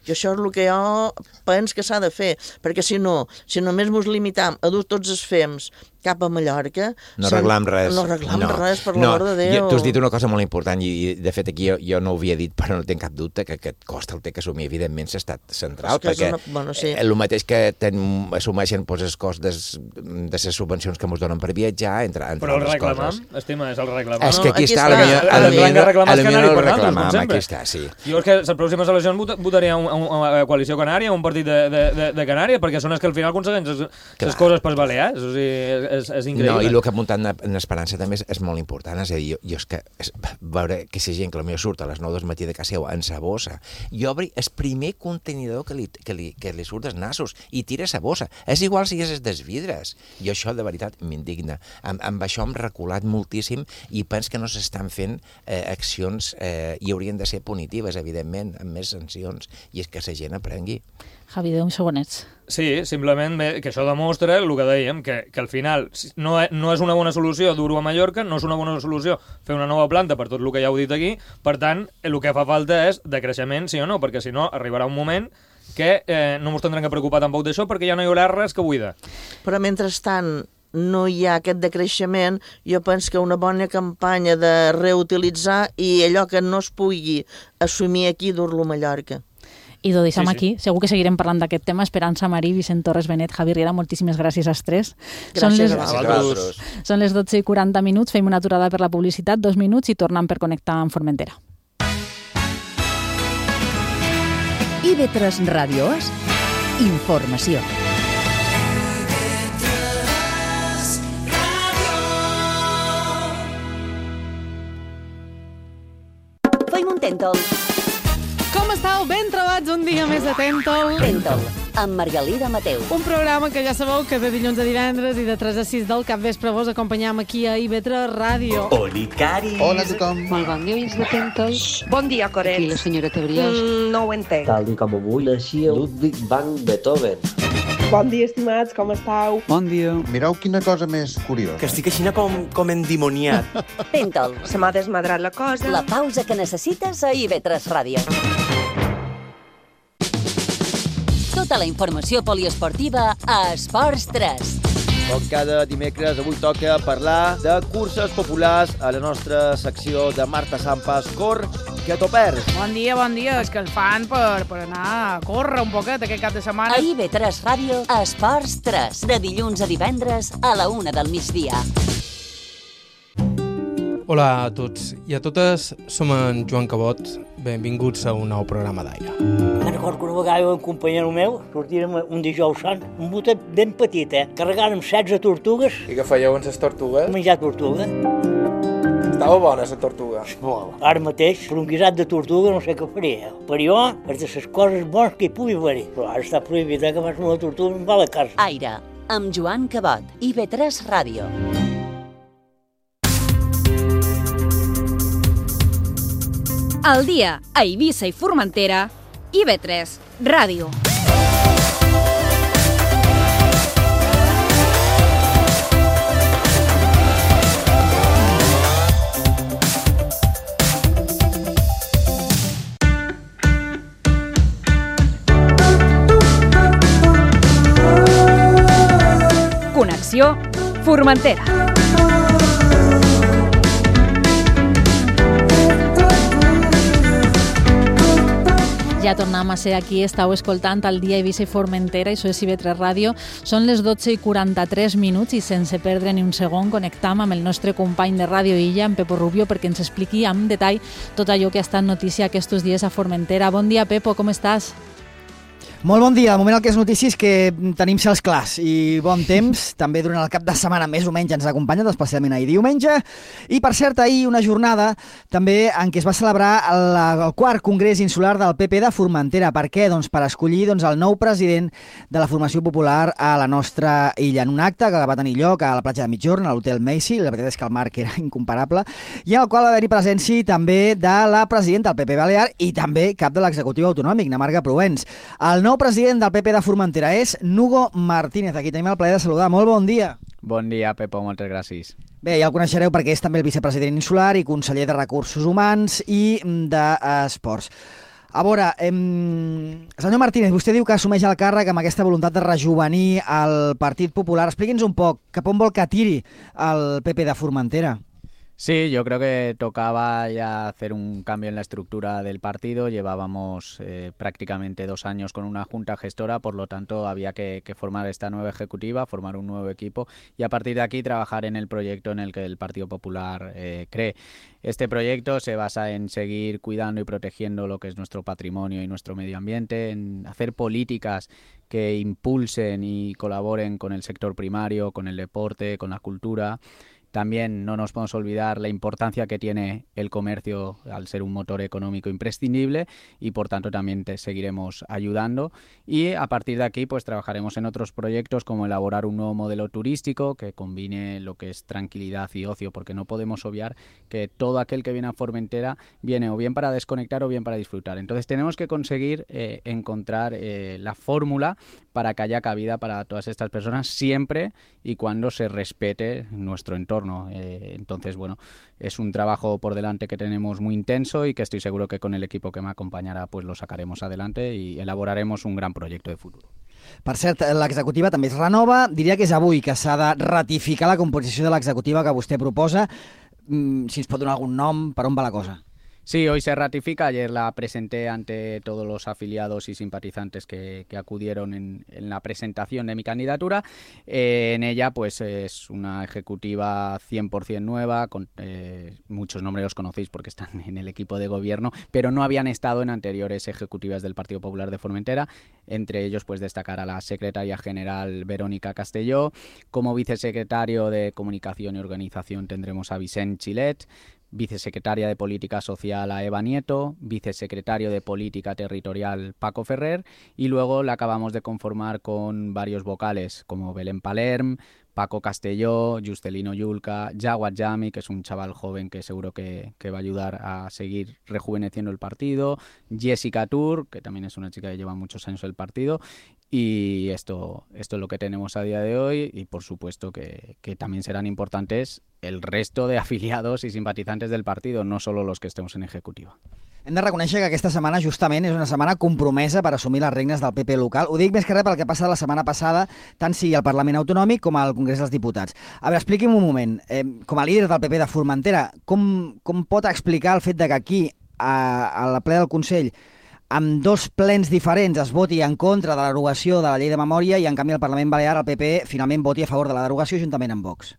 I això és el que jo penso que s'ha de fer, perquè si no, si només ens limitam a dur tots els F E M S cap a Mallorca... No arreglam res. No arreglam no. res, per no. l'amor de Déu. Tu has dit una cosa molt important i, de fet, aquí jo, jo no ho havia dit, però no tinc cap dubte que aquest cost el té que assumir, evidentment, l'estat central, perquè una... bueno, sí. el mateix que ten, assumeixen doncs, el cost des, de les subvencions que ens donen per viatjar, entre, entre però el altres reclamam, coses. estima, és el reclamam. És que aquí, aquí està, està, potser el millor el reclamam, aquí està, sí. Jo és que les pròximes eleccions votaria a una coalició canària, un partit de, de, de, de Canària, perquè són els que al final aconsegueixen les coses per Balears, o sigui, és, és increïble. No, i el que ha muntat en Esperança també és, és molt important, és a dir, jo, jo és que és, veure que si gent que potser surt a les nou del matí de casa seva en sa bossa i obri el primer contenidor que li, que li, que li surt dels nassos i tira sa bossa. És igual si és des vidres. Jo això de veritat m'indigna. Amb, amb això hem reculat moltíssim i penso que no s'estan fent eh, accions eh, i haurien de ser punitives, evidentment, amb més sancions, i és que la gent aprengui. Javi, deu segonets. Sí, simplement que això demostra el que dèiem, que, que al final no, no és una bona solució dur-ho a Mallorca, no és una bona solució fer una nova planta per tot el que ja heu dit aquí, per tant, el que fa falta és decreixement, sí o no, perquè si no arribarà un moment que eh, no ens tindrem que preocupar tampoc d'això perquè ja no hi haurà res que buida. Però mentrestant no hi ha aquest decreixement, jo penso que una bona campanya de reutilitzar i allò que no es pugui assumir aquí, dur-lo a Mallorca. I ho deixem sí, sí. aquí. Segur que seguirem parlant d'aquest tema. Esperança Marí, Vicent Torres Benet, Javi Riera, moltíssimes gràcies als tres. Gràcies són les, a vosaltres. Són les dotze i quaranta minuts, fem una aturada per la publicitat, dos minuts i tornem per connectar amb Formentera. I V tres Ràdio és informació. Feim un tèntol. Com estàu? Ben trobats un dia més de Tèntol. Tèntol, amb Margalida Mateu. Un programa que ja sabeu que de dilluns a divendres i de tres a sis del capvespre vos acompanyam aquí a I V tres Ràdio. Oli, Cari. Hola a tothom. Molt bon dia, oients de Tèntol. Bon dia, Coret. Aquí la senyora Brioix. Mm, no ho entenc. Tal i com avui naixia Ludwig van Beethoven. Bon dia, estimats, com estàu? Bon dia. Mireu quina cosa més curiosa. Que estic així com, com endimoniat. Tèntol. Se m'ha desmadrat la cosa. La pausa que necessites a I V tres Ràdio. Tota la informació poliesportiva a Esports tres. Com cada dimecres, avui toca parlar de curses populars a la nostra secció de Marta Sampas. Cor, que t'ho perds. Bon dia, bon dia. És que el fan per, per anar a córrer un poquet aquest cap de setmana. A I V tres Ràdio, Esports tres, de dilluns a divendres a la una del migdia. Hola a tots i a totes, som en Joan Cabot, benvinguts a un nou programa d'aire. Me'n recordo que una vegada un companyero meu sortirem un dijous sant, un botet ben petit, eh? Carregàrem setze tortugues. I què fèieu amb les tortugues? Menjar tortuga. Estava bona, la tortuga. Molt. Ara mateix, per un guisat de tortuga no sé què faria. Per jo, és de les coses bones que hi pugui haver-hi. Però ara està prohibit, eh, que fas una tortuga em va a la casa. Aire, amb Joan Cabot, I V tres Ràdio. Al dia, a Eivissa i Formentera, I V tres Ràdio. informació, Formentera. Ja tornem a ser aquí, estàu escoltant el dia Eivissa i Formentera, això és I V tres Ràdio. Són les dotze i quaranta-tres minuts i sense perdre ni un segon connectam amb el nostre company de Ràdio Illa, en Pepo Rubio, perquè ens expliqui amb detall tot allò que ha estat notícia aquests dies a Formentera. Bon dia, Pepo, com estàs? Molt bon dia. De moment el que és notícia és que tenim cels clars i bon temps. També durant el cap de setmana més o menys ens acompanyen, especialment ahir diumenge. I per cert, ahir una jornada també en què es va celebrar el, el quart Congrés Insular del P P de Formentera. Per què? Doncs per escollir doncs, el nou president de la formació popular a la nostra illa. En un acte que va tenir lloc a la platja de Migjorn, a l'Hotel Macy, la veritat és que el marc era incomparable, i en el qual va haver-hi presència també de la presidenta del P P Balear i també cap de l'executiu autonòmic, na Marga Proens. El nou president del P P de Formentera és Nugo Martínez. Aquí tenim el plaer de saludar. Molt bon dia. Bon dia, Pepo, moltes gràcies. Bé, ja el coneixereu perquè és també el vicepresident insular i conseller de Recursos Humans i d'Esports. A veure, eh, senyor Martínez, vostè diu que assumeix el càrrec amb aquesta voluntat de rejuvenir el Partit Popular. Expliqui'ns un poc cap on vol que tiri el P P de Formentera. Sí, yo creo que tocaba ya hacer un cambio en la estructura del partido. Llevábamos eh, prácticamente dos años con una junta gestora, por lo tanto había que, que formar esta nueva ejecutiva, formar un nuevo equipo y a partir de aquí trabajar en el proyecto en el que el Partido Popular eh, cree. Este proyecto se basa en seguir cuidando y protegiendo lo que es nuestro patrimonio y nuestro medio ambiente, en hacer políticas que impulsen y colaboren con el sector primario, con el deporte, con la cultura. También no nos podemos olvidar la importancia que tiene el comercio al ser un motor económico imprescindible y por tanto también te seguiremos ayudando y a partir de aquí pues trabajaremos en otros proyectos como elaborar un nuevo modelo turístico que combine lo que es tranquilidad y ocio, porque no podemos obviar que todo aquel que viene a Formentera viene o bien para desconectar o bien para disfrutar. Entonces tenemos que conseguir eh, encontrar eh, la fórmula para que haya cabida para todas estas personas siempre y cuando se respete nuestro entorno. Eh, entonces, bueno, es un trabajo por delante que tenemos muy intenso y que estoy seguro que con el equipo que me acompañará pues lo sacaremos adelante y elaboraremos un gran proyecto de futuro. Per cert, l'executiva també es renova. Diria que és avui que s'ha de ratificar la composició de l'executiva que vostè proposa. Mm, si ens pot donar algun nom, per on va la cosa? Sí, hoy se ratifica. Ayer la presenté ante todos los afiliados y simpatizantes que, que acudieron en, en la presentación de mi candidatura. Eh, en ella, pues es una ejecutiva cien por ciento nueva, con eh, muchos nombres los conocéis porque están en el equipo de gobierno, pero no habían estado en anteriores ejecutivas del Partido Popular de Formentera. Entre ellos, pues destacar a la secretaria general Verónica Castelló. Como vicesecretario de Comunicación y Organización tendremos a Vicent Chilet, vicesecretaria de Política Social a Eva Nieto, vicesecretario de Política Territorial Paco Ferrer y luego la acabamos de conformar con varios vocales como Belén Palerm, Paco Castelló, Juscelino Yulca, Jawad Jami, que es un chaval joven que seguro que, que va a ayudar a seguir rejuveneciendo el partido, Jessica Tour, que también es una chica que lleva muchos años en el partido, y esto, esto es lo que tenemos a día de hoy y por supuesto que, que también serán importantes el resto de afiliados y simpatizantes del partido, no solo los que estemos en ejecutiva. Hem de reconèixer que aquesta setmana justament és una setmana compromesa per assumir les regnes del P P local. Ho dic més que res pel que passa la setmana passada, tant sigui al Parlament Autonòmic com al Congrés dels Diputats. A veure, expliqui'm un moment, eh, com a líder del P P de Formentera, com, com pot explicar el fet de que aquí, a, a la ple del Consell, amb dos plens diferents es voti en contra de la derogació de la llei de memòria i en canvi al Parlament Balear el P P finalment voti a favor de la derogació juntament amb Vox?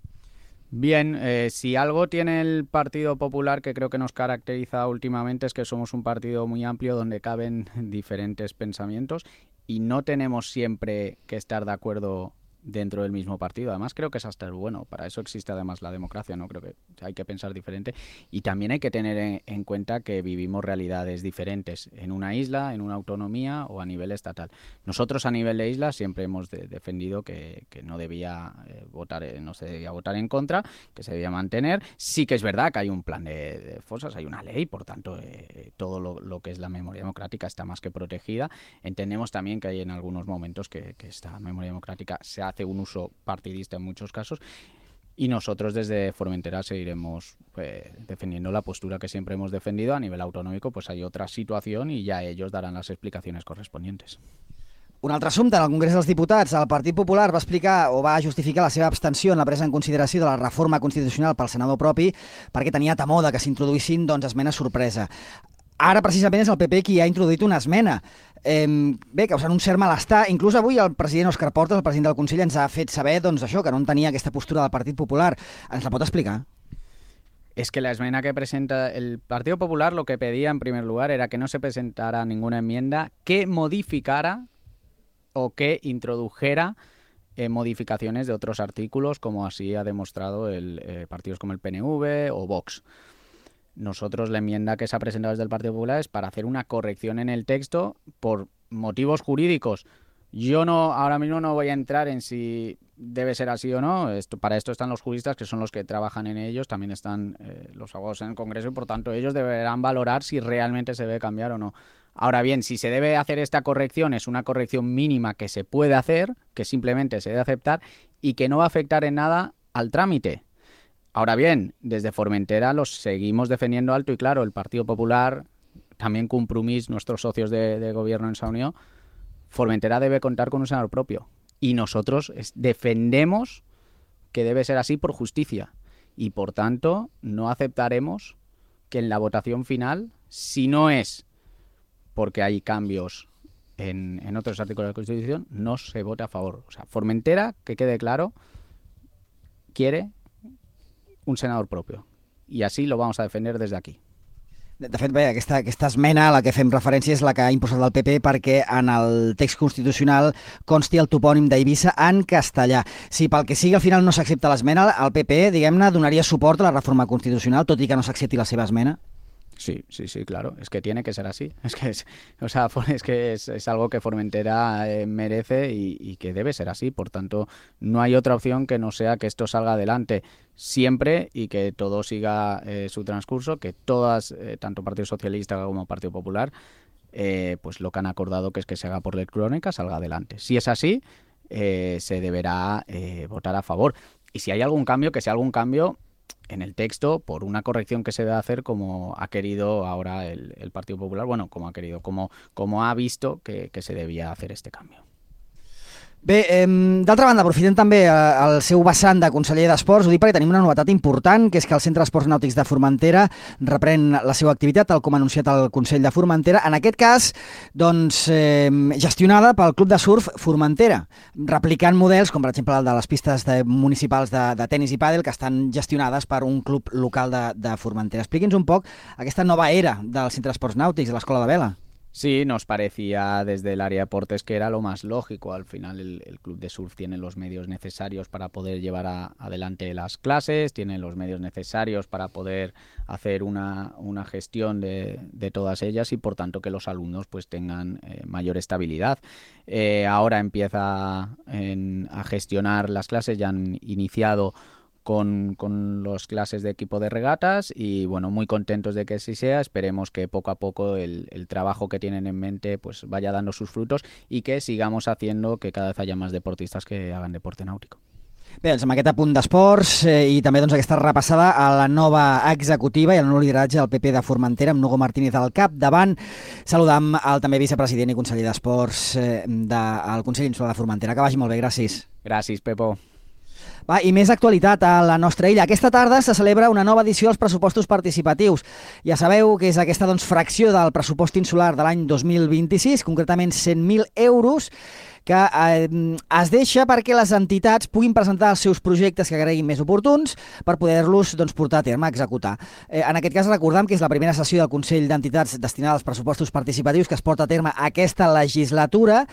Bien, eh, si algo tiene el Partido Popular que creo que nos caracteriza últimamente es que somos un partido muy amplio donde caben diferentes pensamientos y no tenemos siempre que estar de acuerdo dentro del mismo partido. Además creo que es hasta bueno, para eso existe además la democracia, ¿no? Creo que hay que pensar diferente y también hay que tener en, en cuenta que vivimos realidades diferentes en una isla, en una autonomía o a nivel estatal. Nosotros a nivel de isla siempre hemos de, defendido que, que no debía eh, votar, eh, no se debía votar en contra, que se debía mantener. Sí que es verdad que hay un plan de, de fosas, hay una ley, por tanto eh, todo lo, lo que es la memoria democrática está más que protegida. Entendemos también que hay en algunos momentos que, que esta memoria democrática se hace hace un uso partidista en muchos casos y nosotros desde Formentera seguiremos pues, defendiendo la postura que siempre hemos defendido. A nivel autonómico pues hay otra situación y ya ellos darán las explicaciones correspondientes. Un altre assumpte, en el Congrés dels Diputats, el Partit Popular va explicar o va justificar la seva abstenció en la presa en consideració de la reforma constitucional pel senador propi perquè tenia temor de que s'introduïssin doncs, esmenes sorpresa. Ara, precisament, és el P P qui ha introduït una esmena. Eh, bé, causant un cert malestar. Inclús avui el president Òscar Portas, el president del Consell, ens ha fet saber doncs, això, que no entenia aquesta postura del Partit Popular. Ens la pot explicar? Es que la esmena que presenta el Partido Popular lo que pedía en primer lugar era que no se presentara ninguna enmienda que modificara o que introdujera eh, modificaciones de otros artículos, como así ha demostrado el, eh, partidos como el P N V o Vox. Nosotros la enmienda que se ha presentado desde el Partido Popular es para hacer una corrección en el texto por motivos jurídicos. Yo no ahora mismo no voy a entrar en si debe ser así o no. Esto, para esto están los juristas, que son los que trabajan en ellos. También están eh, los abogados en el Congreso y, por tanto, ellos deberán valorar si realmente se debe cambiar o no. Ahora bien, si se debe hacer esta corrección, es una corrección mínima que se puede hacer, que simplemente se debe aceptar y que no va a afectar en nada al trámite. Ahora bien, desde Formentera los seguimos defendiendo alto y claro. El Partido Popular, también Compromís, nuestros socios de, de gobierno en esa unión, Formentera debe contar con un senador propio. Y nosotros es, defendemos que debe ser así por justicia. Y por tanto, no aceptaremos que en la votación final, si no es porque hay cambios en, en otros artículos de la Constitución, no se vote a favor. O sea, Formentera, que quede claro, quiere un senador propio. Y así lo vamos a defender desde aquí. De, de fet, bé, aquesta, aquesta esmena a la que fem referència és la que ha impulsat el P P perquè en el text constitucional consti el topònim d'Eivissa en castellà. Si pel que sigui al final no s'accepta l'esmena, el P P, diguem-ne, donaria suport a la reforma constitucional, tot i que no s'accepti la seva esmena? Sí, sí, sí, claro. Es que tiene que ser así. Es que es, o sea, es que es, es algo que Formentera eh, merece y, y que debe ser así. Por tanto, no hay otra opción que no sea que esto salga adelante siempre y que todo siga eh, su transcurso, que todas, eh, tanto Partido Socialista como Partido Popular, eh, pues lo que han acordado que es que se haga por ley crónica, salga adelante. Si es así, eh, se deberá eh, votar a favor. Y si hay algún cambio, que sea algún cambio en el texto por una corrección que se debe hacer como ha querido ahora el, el Partido Popular, bueno, como ha querido, como, como ha visto que, que se debía hacer este cambio. Bé, eh, d'altra banda, aprofitem també el seu vessant de conseller d'Esports, ho dic perquè tenim una novetat important, que és que el Centre d'Esports Nàutics de Formentera reprèn la seva activitat, tal com ha anunciat el Consell de Formentera, en aquest cas, doncs, eh, gestionada pel Club de Surf Formentera, replicant models com, per exemple, el de les pistes de, municipals de, de tenis i pàdel, que estan gestionades per un club local de, de Formentera. Expliqui'ns un poc aquesta nova era del Centre d'Esports Nàutics, de l'Escola de Vela. Sí, nos parecía desde el área de deportes que era lo más lógico. Al final el, el club de surf tiene los medios necesarios para poder llevar a, adelante las clases, tiene los medios necesarios para poder hacer una, una gestión de, de todas ellas y por tanto que los alumnos pues tengan eh, mayor estabilidad. Eh, ahora empieza en, a gestionar las clases, ya han iniciado Con, con las clases de equipo de regatas y bueno, muy contentos de que así sea. Esperemos que poco a poco el, el trabajo que tienen en mente pues vaya dando sus frutos y que sigamos haciendo que cada vez haya más deportistas que hagan deporte náutico. Bé, doncs amb aquest apunt d'esports eh, i també doncs, aquesta repassada a la nova executiva i al nou lideratge del P P de Formentera amb Hugo Martínez al capdavant. Saludam el també vicepresident i conseller d'Esports eh, del Consell Insular de Formentera. Que vagi molt bé, gràcies. Gràcies, Pepo. Va, i més actualitat a la nostra illa. Aquesta tarda se celebra una nova edició dels pressupostos participatius. Ja sabeu que és aquesta doncs, fracció del pressupost insular de l'any dos mil vint-i-sis, concretament cent mil euros, que eh, es deixa perquè les entitats puguin presentar els seus projectes que creguin més oportuns per poder-los doncs, portar a terme, a executar. Eh, en aquest cas recordem que és la primera sessió del Consell d'Entitats destinada als pressupostos participatius que es porta a terme aquesta legislatura.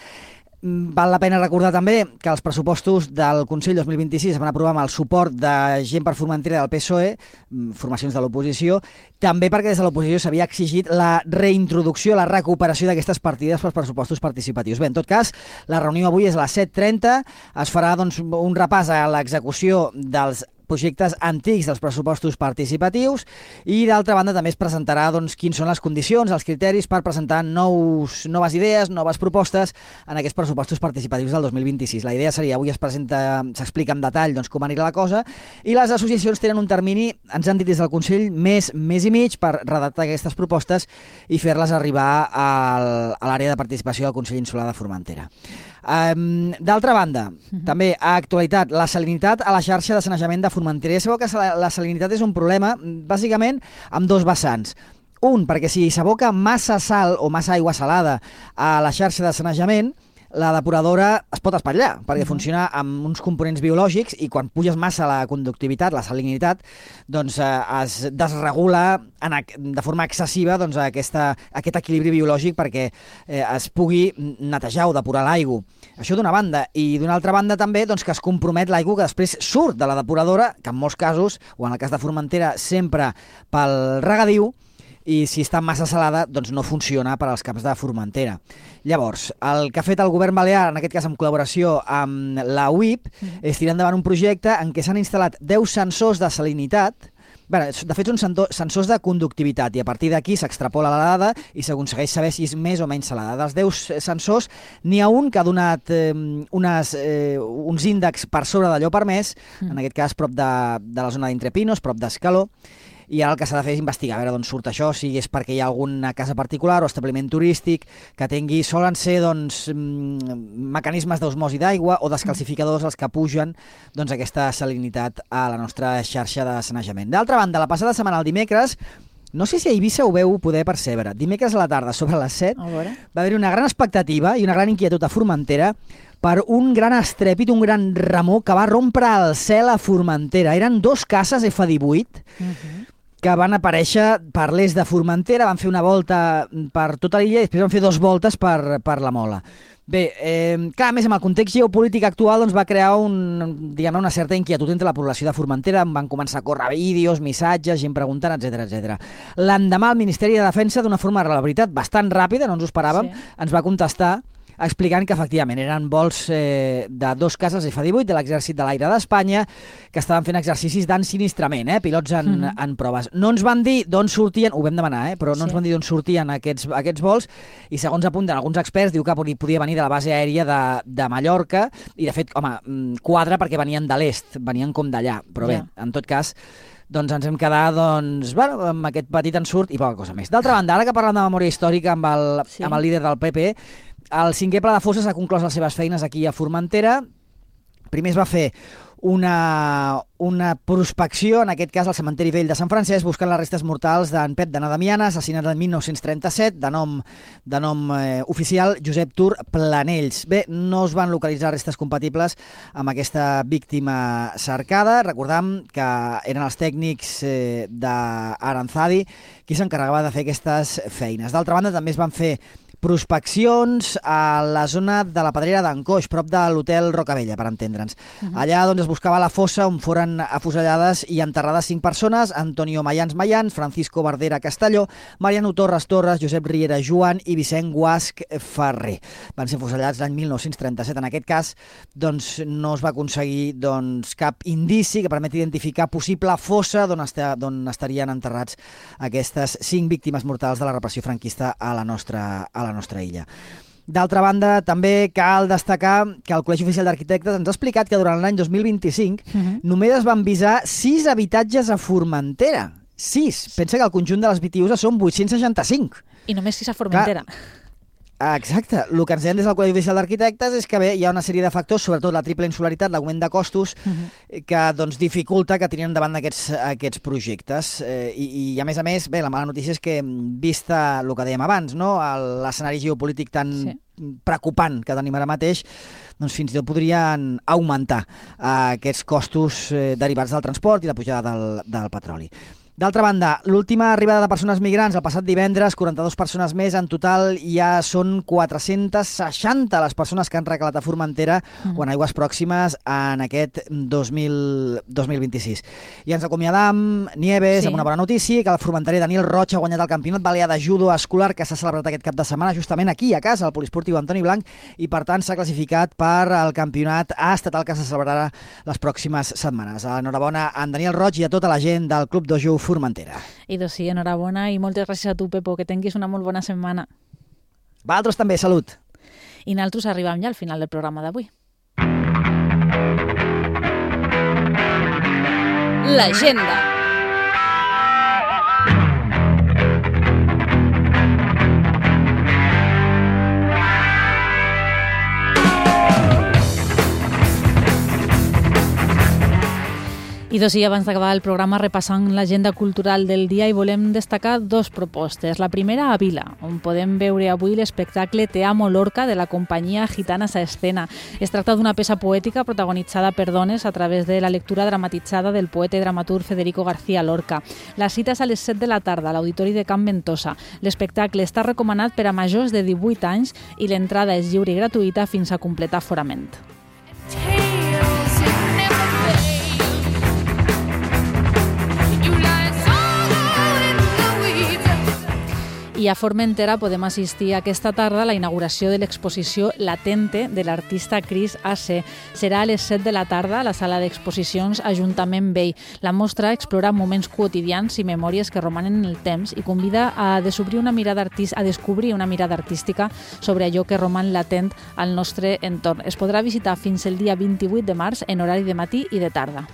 Val la pena recordar també que els pressupostos del Consell dos mil vint-i-sis es van aprovar amb el suport de gent per Formentera del P S O E, formacions de l'oposició, també perquè des de l'oposició s'havia exigit la reintroducció, la recuperació d'aquestes partides pels pressupostos participatius. Bé, en tot cas, la reunió avui és a les set trenta, es farà doncs, un repàs a l'execució dels projectes antics dels pressupostos participatius i, d'altra banda, també es presentarà doncs, quins són les condicions, els criteris per presentar nous, noves idees, noves propostes en aquests pressupostos participatius del dos mil vint-i-sis. La idea seria, avui es presenta, s'explica en detall doncs, com anirà la cosa, i les associacions tenen un termini, ens han dit des del Consell, més, més i mig per redactar aquestes propostes i fer-les arribar al, a l'àrea de participació del Consell Insular de Formentera. Um, D'altra banda, uh-huh. també a actualitat, la salinitat a la xarxa de sanejament de Formentera. Ja sabeu que la salinitat és un problema, bàsicament, amb dos vessants. Un, perquè si s'aboca massa sal o massa aigua salada a la xarxa de sanejament, la depuradora es pot espatllar, perquè uh-huh. funciona amb uns components biològics i quan puges massa la conductivitat, la salinitat, doncs eh, es desregula en, de forma excessiva doncs, aquesta, aquest equilibri biològic perquè eh, es pugui netejar o depurar l'aigua. Això d'una banda. I d'una altra banda també doncs, que es compromet l'aigua que després surt de la depuradora, que en molts casos, o en el cas de Formentera, sempre pel regadiu, i si està massa salada, doncs no funciona per als camps de Formentera. Llavors, el que ha fet el govern balear, en aquest cas en col·laboració amb la U I P, mm. és tirar endavant un projecte en què s'han instal·lat deu sensors de salinitat. Bé, de fet, són sensors de conductivitat i a partir d'aquí s'extrapola la dada i s'aconsegueix saber si és més o menys salada. Dels deu sensors, n'hi ha un que ha donat eh, unes, eh, uns índexs per sobre d'allò permès, mm. en aquest cas prop de, de la zona d'Entrepinos, prop d'Escaló, i ara el que s'ha de fer és investigar, a veure d'on surt això, si és perquè hi ha alguna casa particular o establiment turístic que tingui, solen ser doncs, mecanismes d'osmosi d'aigua o descalcificadors els que pugen doncs, aquesta salinitat a la nostra xarxa de sanejament. D'altra banda, la passada setmana, el dimecres, no sé si a Eivissa ho veu poder percebre, dimecres a la tarda, sobre les set, va haver una gran expectativa i una gran inquietud a Formentera per un gran estrèpit, un gran remor que va rompre el cel a Formentera. Eren dos cases F divuit, uh-huh. que van aparèixer per l'est de Formentera, van fer una volta per tota l'illa i després van fer dues voltes per, per la Mola. Bé, eh, clar, a més amb el context geopolític actual doncs, va crear un, diguem, una certa inquietud entre la població de Formentera, van començar a córrer vídeos, missatges, gent preguntant, etcètera, etcètera. L'endemà el Ministeri de Defensa, d'una forma, la veritat, bastant ràpida, no ens ho esperàvem, sí. ens va contestar explicant que efectivament eren vols eh, de dos cases F divuit de l'Exèrcit de l'Aire d'Espanya que estaven fent exercicis d'ensinistrament, eh, pilots en, mm. en proves. No ens van dir d'on sortien, ho vam demanar, eh, però no sí. ens van dir d'on sortien aquests, aquests vols i segons apunten alguns experts diu que podia venir de la base aèria de, de Mallorca i de fet, home, quadra perquè venien de l'est, venien com d'allà, però bé, yeah. en tot cas doncs ens hem quedat doncs, bueno, amb aquest petit ensurt i poca cosa més. D'altra banda, ara que parlem de memòria històrica amb el, sí. amb el líder del P P, el cinquè pla de fosses ha conclòs les seves feines aquí a Formentera. Primer es va fer una, una prospecció, en aquest cas al cementeri vell de Sant Francesc, buscant les restes mortals d'en Pep de Nadamiana, assassinat el mil nou-cents trenta-set, de nom, de nom eh, oficial Josep Tur Planells. Bé, no es van localitzar restes compatibles amb aquesta víctima cercada. Recordam que eren els tècnics eh, d'Aranzadi qui s'encarregava de fer aquestes feines. D'altra banda, també es van fer prospeccions a la zona de la Pedrera d'Ancoix, prop de l'hotel Rocavella, per entendre'ns. Uh-huh. Allà doncs, es buscava la fossa on foren afusellades i enterrades cinc persones, Antonio Mayans Mayans, Francisco Bardera Castelló, Mariano Torres Torres, Josep Riera Joan i Vicent Guasc Ferrer. Van ser afusellats l'any mil nou-cents trenta-set. En aquest cas, doncs, no es va aconseguir doncs, cap indici que permeti identificar possible fossa d'on est- d'on estarien enterrats aquestes cinc víctimes mortals de la repressió franquista a la nostra, a la nostra illa. D'altra banda, també cal destacar que el Col·legi Oficial d'Arquitectes ens ha explicat que durant l'any dos mil vint-i-cinc uh-huh. només es van visar sis habitatges a Formentera. Sis. Pensa que el conjunt de les V T Us són vuit-cents seixanta-cinc. I només sis a Formentera. Clar. Exacte. El que ens deien des del Col·legi Oficial d'Arquitectes és que bé, hi ha una sèrie de factors, sobretot la triple insularitat, l'augment de costos, uh-huh. que doncs, dificulta que tinguin endavant aquests, aquests projectes. Eh, i, I a més a més, bé, la mala notícia és que, vista el que dèiem abans, no? l'escenari geopolític tan sí. preocupant que tenim ara mateix, doncs fins i tot podrien augmentar eh, aquests costos eh, derivats del transport i la pujada del, del petroli. D'altra banda, l'última arribada de persones migrants el passat divendres, quaranta-dues persones més, en total ja són quatre-centes seixanta les persones que han recalat a Formentera mm. o en aigües pròximes en aquest dos mil vint-i-sis. I ens acomiadam, Nieves, sí. amb una bona notícia, que el formenterer Daniel Roig ha guanyat el campionat balear de judo escolar que s'ha celebrat aquest cap de setmana justament aquí a casa, al Poliesportiu Antoni Blanc, i per tant s'ha classificat per al campionat estatal que se celebrarà les pròximes setmanes. Enhorabona a en Daniel Roig i a tota la gent del Club Dojo Formentera. I doncs sí, enhorabona i moltes gràcies a tu, Pepo, que tinguis una molt bona setmana. Vosaltres també, salut. I nosaltres arribem ja al final del programa d'avui. L'agenda. I doncs sí, abans d'acabar el programa repassant l'agenda cultural del dia i volem destacar dos propostes. La primera a Vila, on podem veure avui l'espectacle Te amo Lorca de la companyia Gitanas a Escena. Es tracta d'una peça poètica protagonitzada per dones a través de la lectura dramatitzada del poeta i dramaturg Federico García Lorca. La cita és a les set de la tarda a l'Auditori de Can Ventosa. L'espectacle està recomanat per a majors de divuit anys i l'entrada és lliure i gratuïta fins a completar aforament. I a Formentera podem assistir aquesta tarda a la inauguració de l'exposició Latente de l'artista Cris A C. Serà a les set de la tarda a la sala d'exposicions Ajuntament Vell. La mostra explora moments quotidians i memòries que romanen en el temps i convida a descobrir una mirada artist, a descobrir una mirada artística sobre allò que roman latent al nostre entorn. Es podrà visitar fins el dia vint-i-vuit de març en horari de matí i de tarda.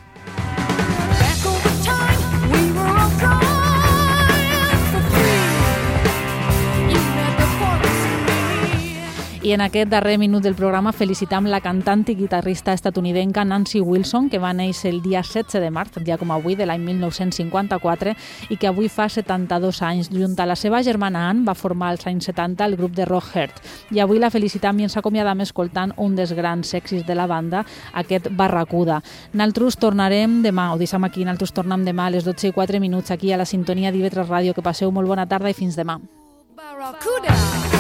I en aquest darrer minut del programa felicitam la cantant i guitarrista estatunidenca Nancy Wilson, que va néixer el dia setze de març, dia com avui, de l'any mil nou-cents cinquanta-quatre, i que avui fa setanta-dos anys. Junt a la seva germana Ann va formar als anys setanta el grup de Rock Heart. I avui la felicitam i ens acomiadam escoltant un dels grans èxits de la banda, aquest Barracuda. Naltros tornarem demà, ho deixem aquí, naltros tornem demà a les dotze i quatre minuts aquí a la sintonia d'I V tres Ràdio. Que passeu molt bona tarda i fins demà. Barracuda.